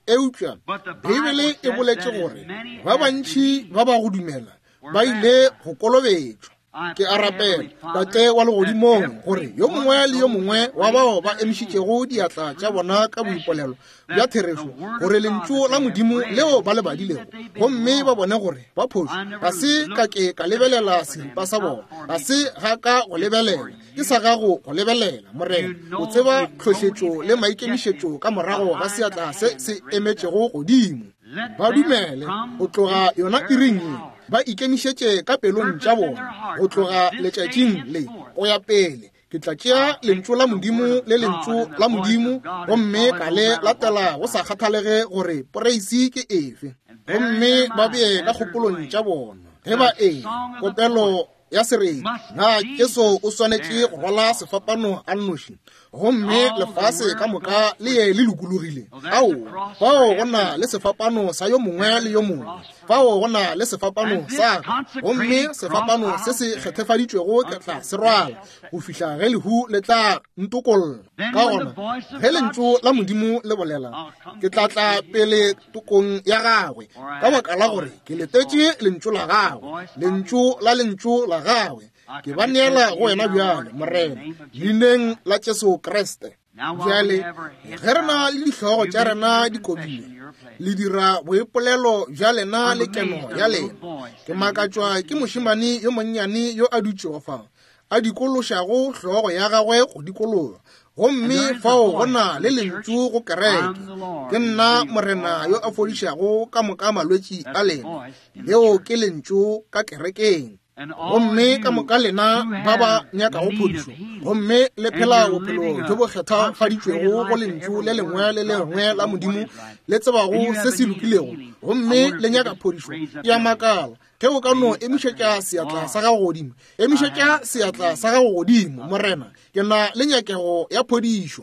Eupša Beibele e boletše gore ba bantši ba ba go dumela ba ile go kolobetšwa. Ke a rapela, Tate wa Legodimong, gore yo mongwe le yo mongwe wa bao ba emišitšego diatla tša bona ka boipolelo bja therešo, gore Lentšu la Modimo leo ba le badilego, gomme ba bone gore ba phošo, ga se ka ke ka lebelela seripa sa bona, ga se ga ka go lebelela, ke sa gago go lebelela, Morena. O tseba tlhohletšo le maikemišetšo ka morago ga seatla se se emetšego godimo. Ba dumele go tloga yona iring ye, ba ikemišetše ka pelong tša bona go tloga letšatšing le go ya pele. Ke tla tšea Lentšu la Modimo le Lentšu la Modimo gomme ka le latela go sa kgathalege gore poreisi ke efe. Gomme ba bee ka kgopolong tša bona ge ba e kopelo ya sereti, na Jesu o swanetše go rwala sefapano a nnoši gomme lefase ka moka le ye le lokologile? Aowa, fao go na le sefapano sa yo mongwe le yo mongwe, fao go na le sefapano sa ka, gomme sefapano se se kgethefaditšwego ke tla se rwala go fihla ge lehu le tla ntokolla. Ka gona ge Lentšu la Modimo le bolela, ke tla tla pele tokong ya gagwe, ka baka la gore ke letetše Lentšu la gagwe, Lentšu la Lentšu la gagwe. Ke ba neela go wena bjale, Morena, leineng la Jesu Kriste. Bjale ge re na le dihlogo tša rena di kobile, le dira boipolelo bja lena le keno ya lena. Ke makatšwa ke mošemane yo monnyane yo a dutšego fa, a dikološago hlogo ya gagwe go dikologa, gomme fao go na le lentšu go kereke, Ke nna Morena yo a fodišago ka moka malwetši a lena. Leo ke lentšu ka kerekeng. Gomme ka moka lena ba ba nyakago phodišo, gomme le phela bophelo bjo bo kgethafaditšwego go lentšu le lengwe le lengwe la Modimo, le tsebago se se lokilego, gomme le nyaka phodišo, ke a makala ge o ka no emišetša seatla sa gago godimo. Emišetša seatla sa gago godimo, Morena, ke na le nyakego ya phodišo.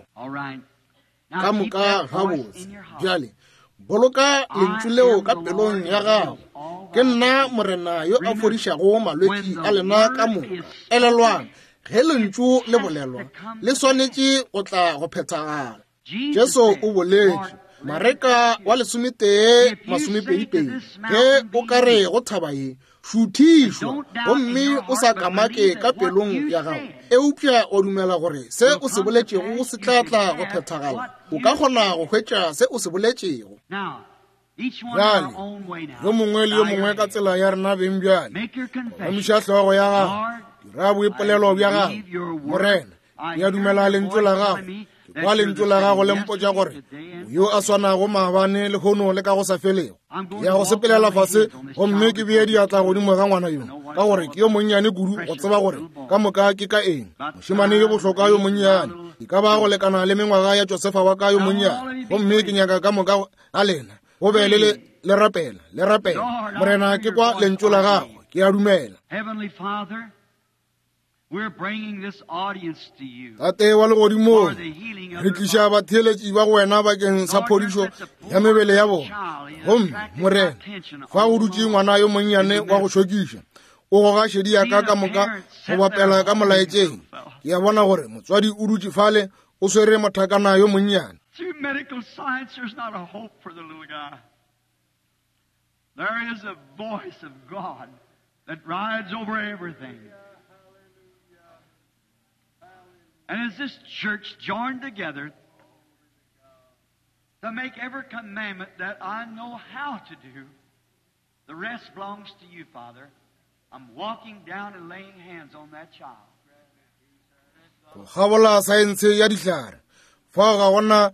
Ka moka gabotse. Bjale boloka lentšu leo ka pelong ya gago. Ke nna Morena yo a fodišago malwetši a lena ka moka. Elelwang, ge lentšu le bolelwa, le swanetše go tla go phethagala. Jesu o boletše, Mareka wa 11:22, ge o ka re go thaba ye, šuthišwa, gomme o sa kamake ka pelong ya gago, eupša o dumela gore se o se boletšego se tla tla go phethagala, o ka kgona go hwetša se o se boletšego. Bjale, yo mongwe le yo mongwe ka tsela ya rena beng bjale, emiša hlogo ya gago, dira boipolelo bja gago, Morena, ke a dumela lentšu la gago, ke kwa lentšu la gago le mpotša gore o yo a swanago maabane lehono le ka go sa felego. Ke ya go sepelela fase gomme ke bee diatla godimo ga ngwana yo, ka gore ke yo monnyane kudu go tseba gore ka moka ke ka eng. Mošemane yo bohlokwa yo monnyane, e ka ba go lekana le mengwaga ya Josefa wa ka yo monnyane, gomme ke nyaka ka moka ga lena go be le le rapela, le rapela. Morena, ke kwa lentšu la gago, ke a dumela. Tate wa legodimong, re tliša batheeletši ba go wena bakeng sa phodišo ya mebele ya bona. Gomme Morena, fa go dutše ngwana yo monnyane wa go šokiša, o goga šedi ya ka ka moka go bapela ka molaetšeng. Ke a bona gore motswadi o dutše fale o swere mothakana yo monnyane. Through medical science, there's not a hope for the little guy. There is a voice of God that rides over everything. And as this church joined together to make every commandment that I know how to do, the rest belongs to you, Father. I'm walking down and laying hands on that child. Go kgabola saense ya dihlare, fao ga gona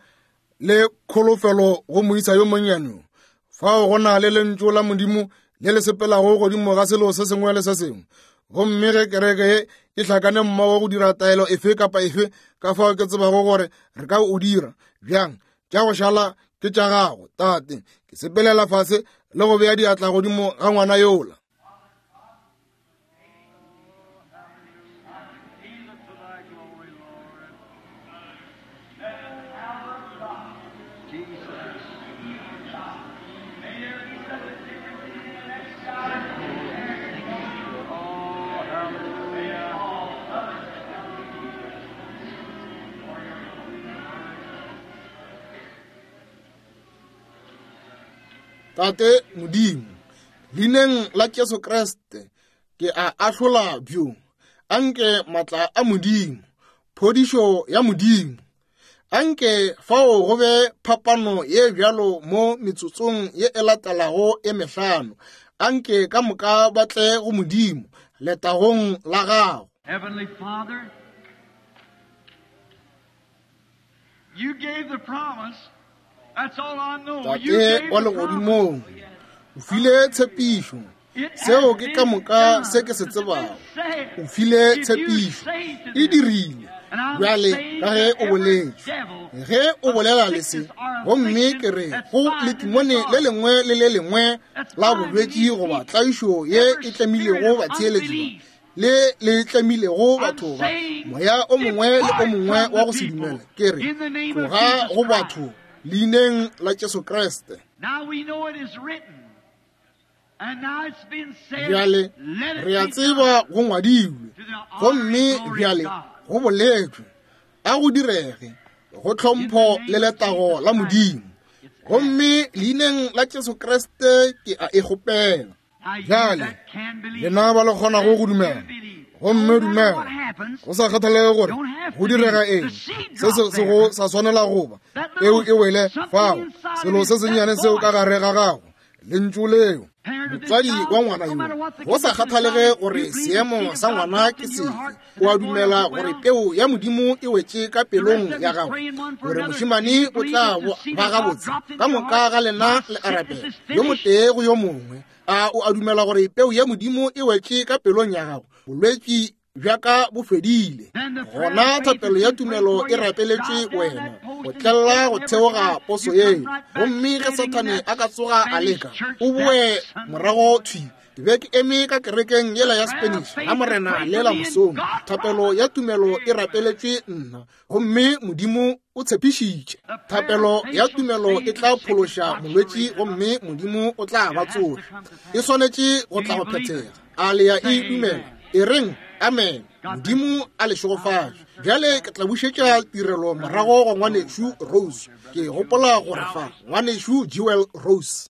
le kholofelo go moisa yo monnyane yo. Fao go na le Lentšu la Modimo le le sepelago godimo ga selo se sengwe le se sengwe. Gomme ge kereke ye e hlakane mmogo go dira taelo efe kapa efe ka fao ke tsebago gore re ka o dira bjang, tša go šala ke tša gago, Tate. Ke sepelela fase le go bea diatla godimo ga ngwana yola. Tate Modimo, leineng la Jesu Kriste, ke a ahlola bjo. Anke matla a Modimo, phodišo ya Modimo, anke fao go be phapano ye bjalo mo metsotsong ye e latelago e mehlano. Anke ka moka ba tle go Modimo, letagong la gago. Heavenly Father, you gave the promise. That's all I know. You Tate gave wa the legodimong, promise. o file tshepišo. Seo ke ka moka se ke se tsebago. O file tshepišo. E dirile. Bjale ka ge o boletše, ge o bolela le se, gomme ke re go letimone le lengwe le le lengwe la bolwetši goba tlaišo ye e tlemilego batheeletši ba, le le tlemilego batho ba, moya o mongwe le o mongwe wa go se dumele, ke re tloga go batho leineng la Jesu Kriste. Now we know it is written. And now it's been said, Bjale let it re a be tseba done. go ngwadilwe, gomme bjale go boletšwe, a go direge go tlhompho le letago la Modimo. Gomme leineng la Jesu Kriste ke a e kgopela. Now you Bjale, that can believe, lena ba le kgonago go dumela, do believe. gomme No matter dumela, what happens, go sa kgathalege gore go direga eng, se se sego sa swanela goba peu e wele fao, selo se sennyane seo ka gare ga gago, lentšu leo. Motswadi wa ngwana yo, go sa kgathalege gore seemo sa ngwana ke sefe, o a dumela gore peu ya Modimo e wetše ka pelong ya gago, gore mošemane o tla ba gabotse. Ka moka ga lena le a rapela, yo motee go yo mongwe. A o a dumela gore peu ya Modimo e wetše ka pelong ya gago? Bolwetši bja ka bo fedile. Gona thapelo ya tumelo e rapeletše wena go tlella go theoga poso yeo. Gomme ge Sathane a ka tsoga a leka, o boe morago thwi. Ke be ke eme ka kerekeng yela ya Spanish la Morena lela mosong. Thapelo ya tumelo e rapeletše nna, gomme Modimo o tshepišitše. Thapelo ya tumelo e tla phološa molwetši, gomme Modimo o tla ba tsoša. E swanetše go tla go phethega. A le ya e dumela? E reng amen. Modimo a le šegofatše. Bjale ke tla bušetša tirelo morago go ngwanešu Rose. Ke gopola gore fa ngwanešu Jewel Rose.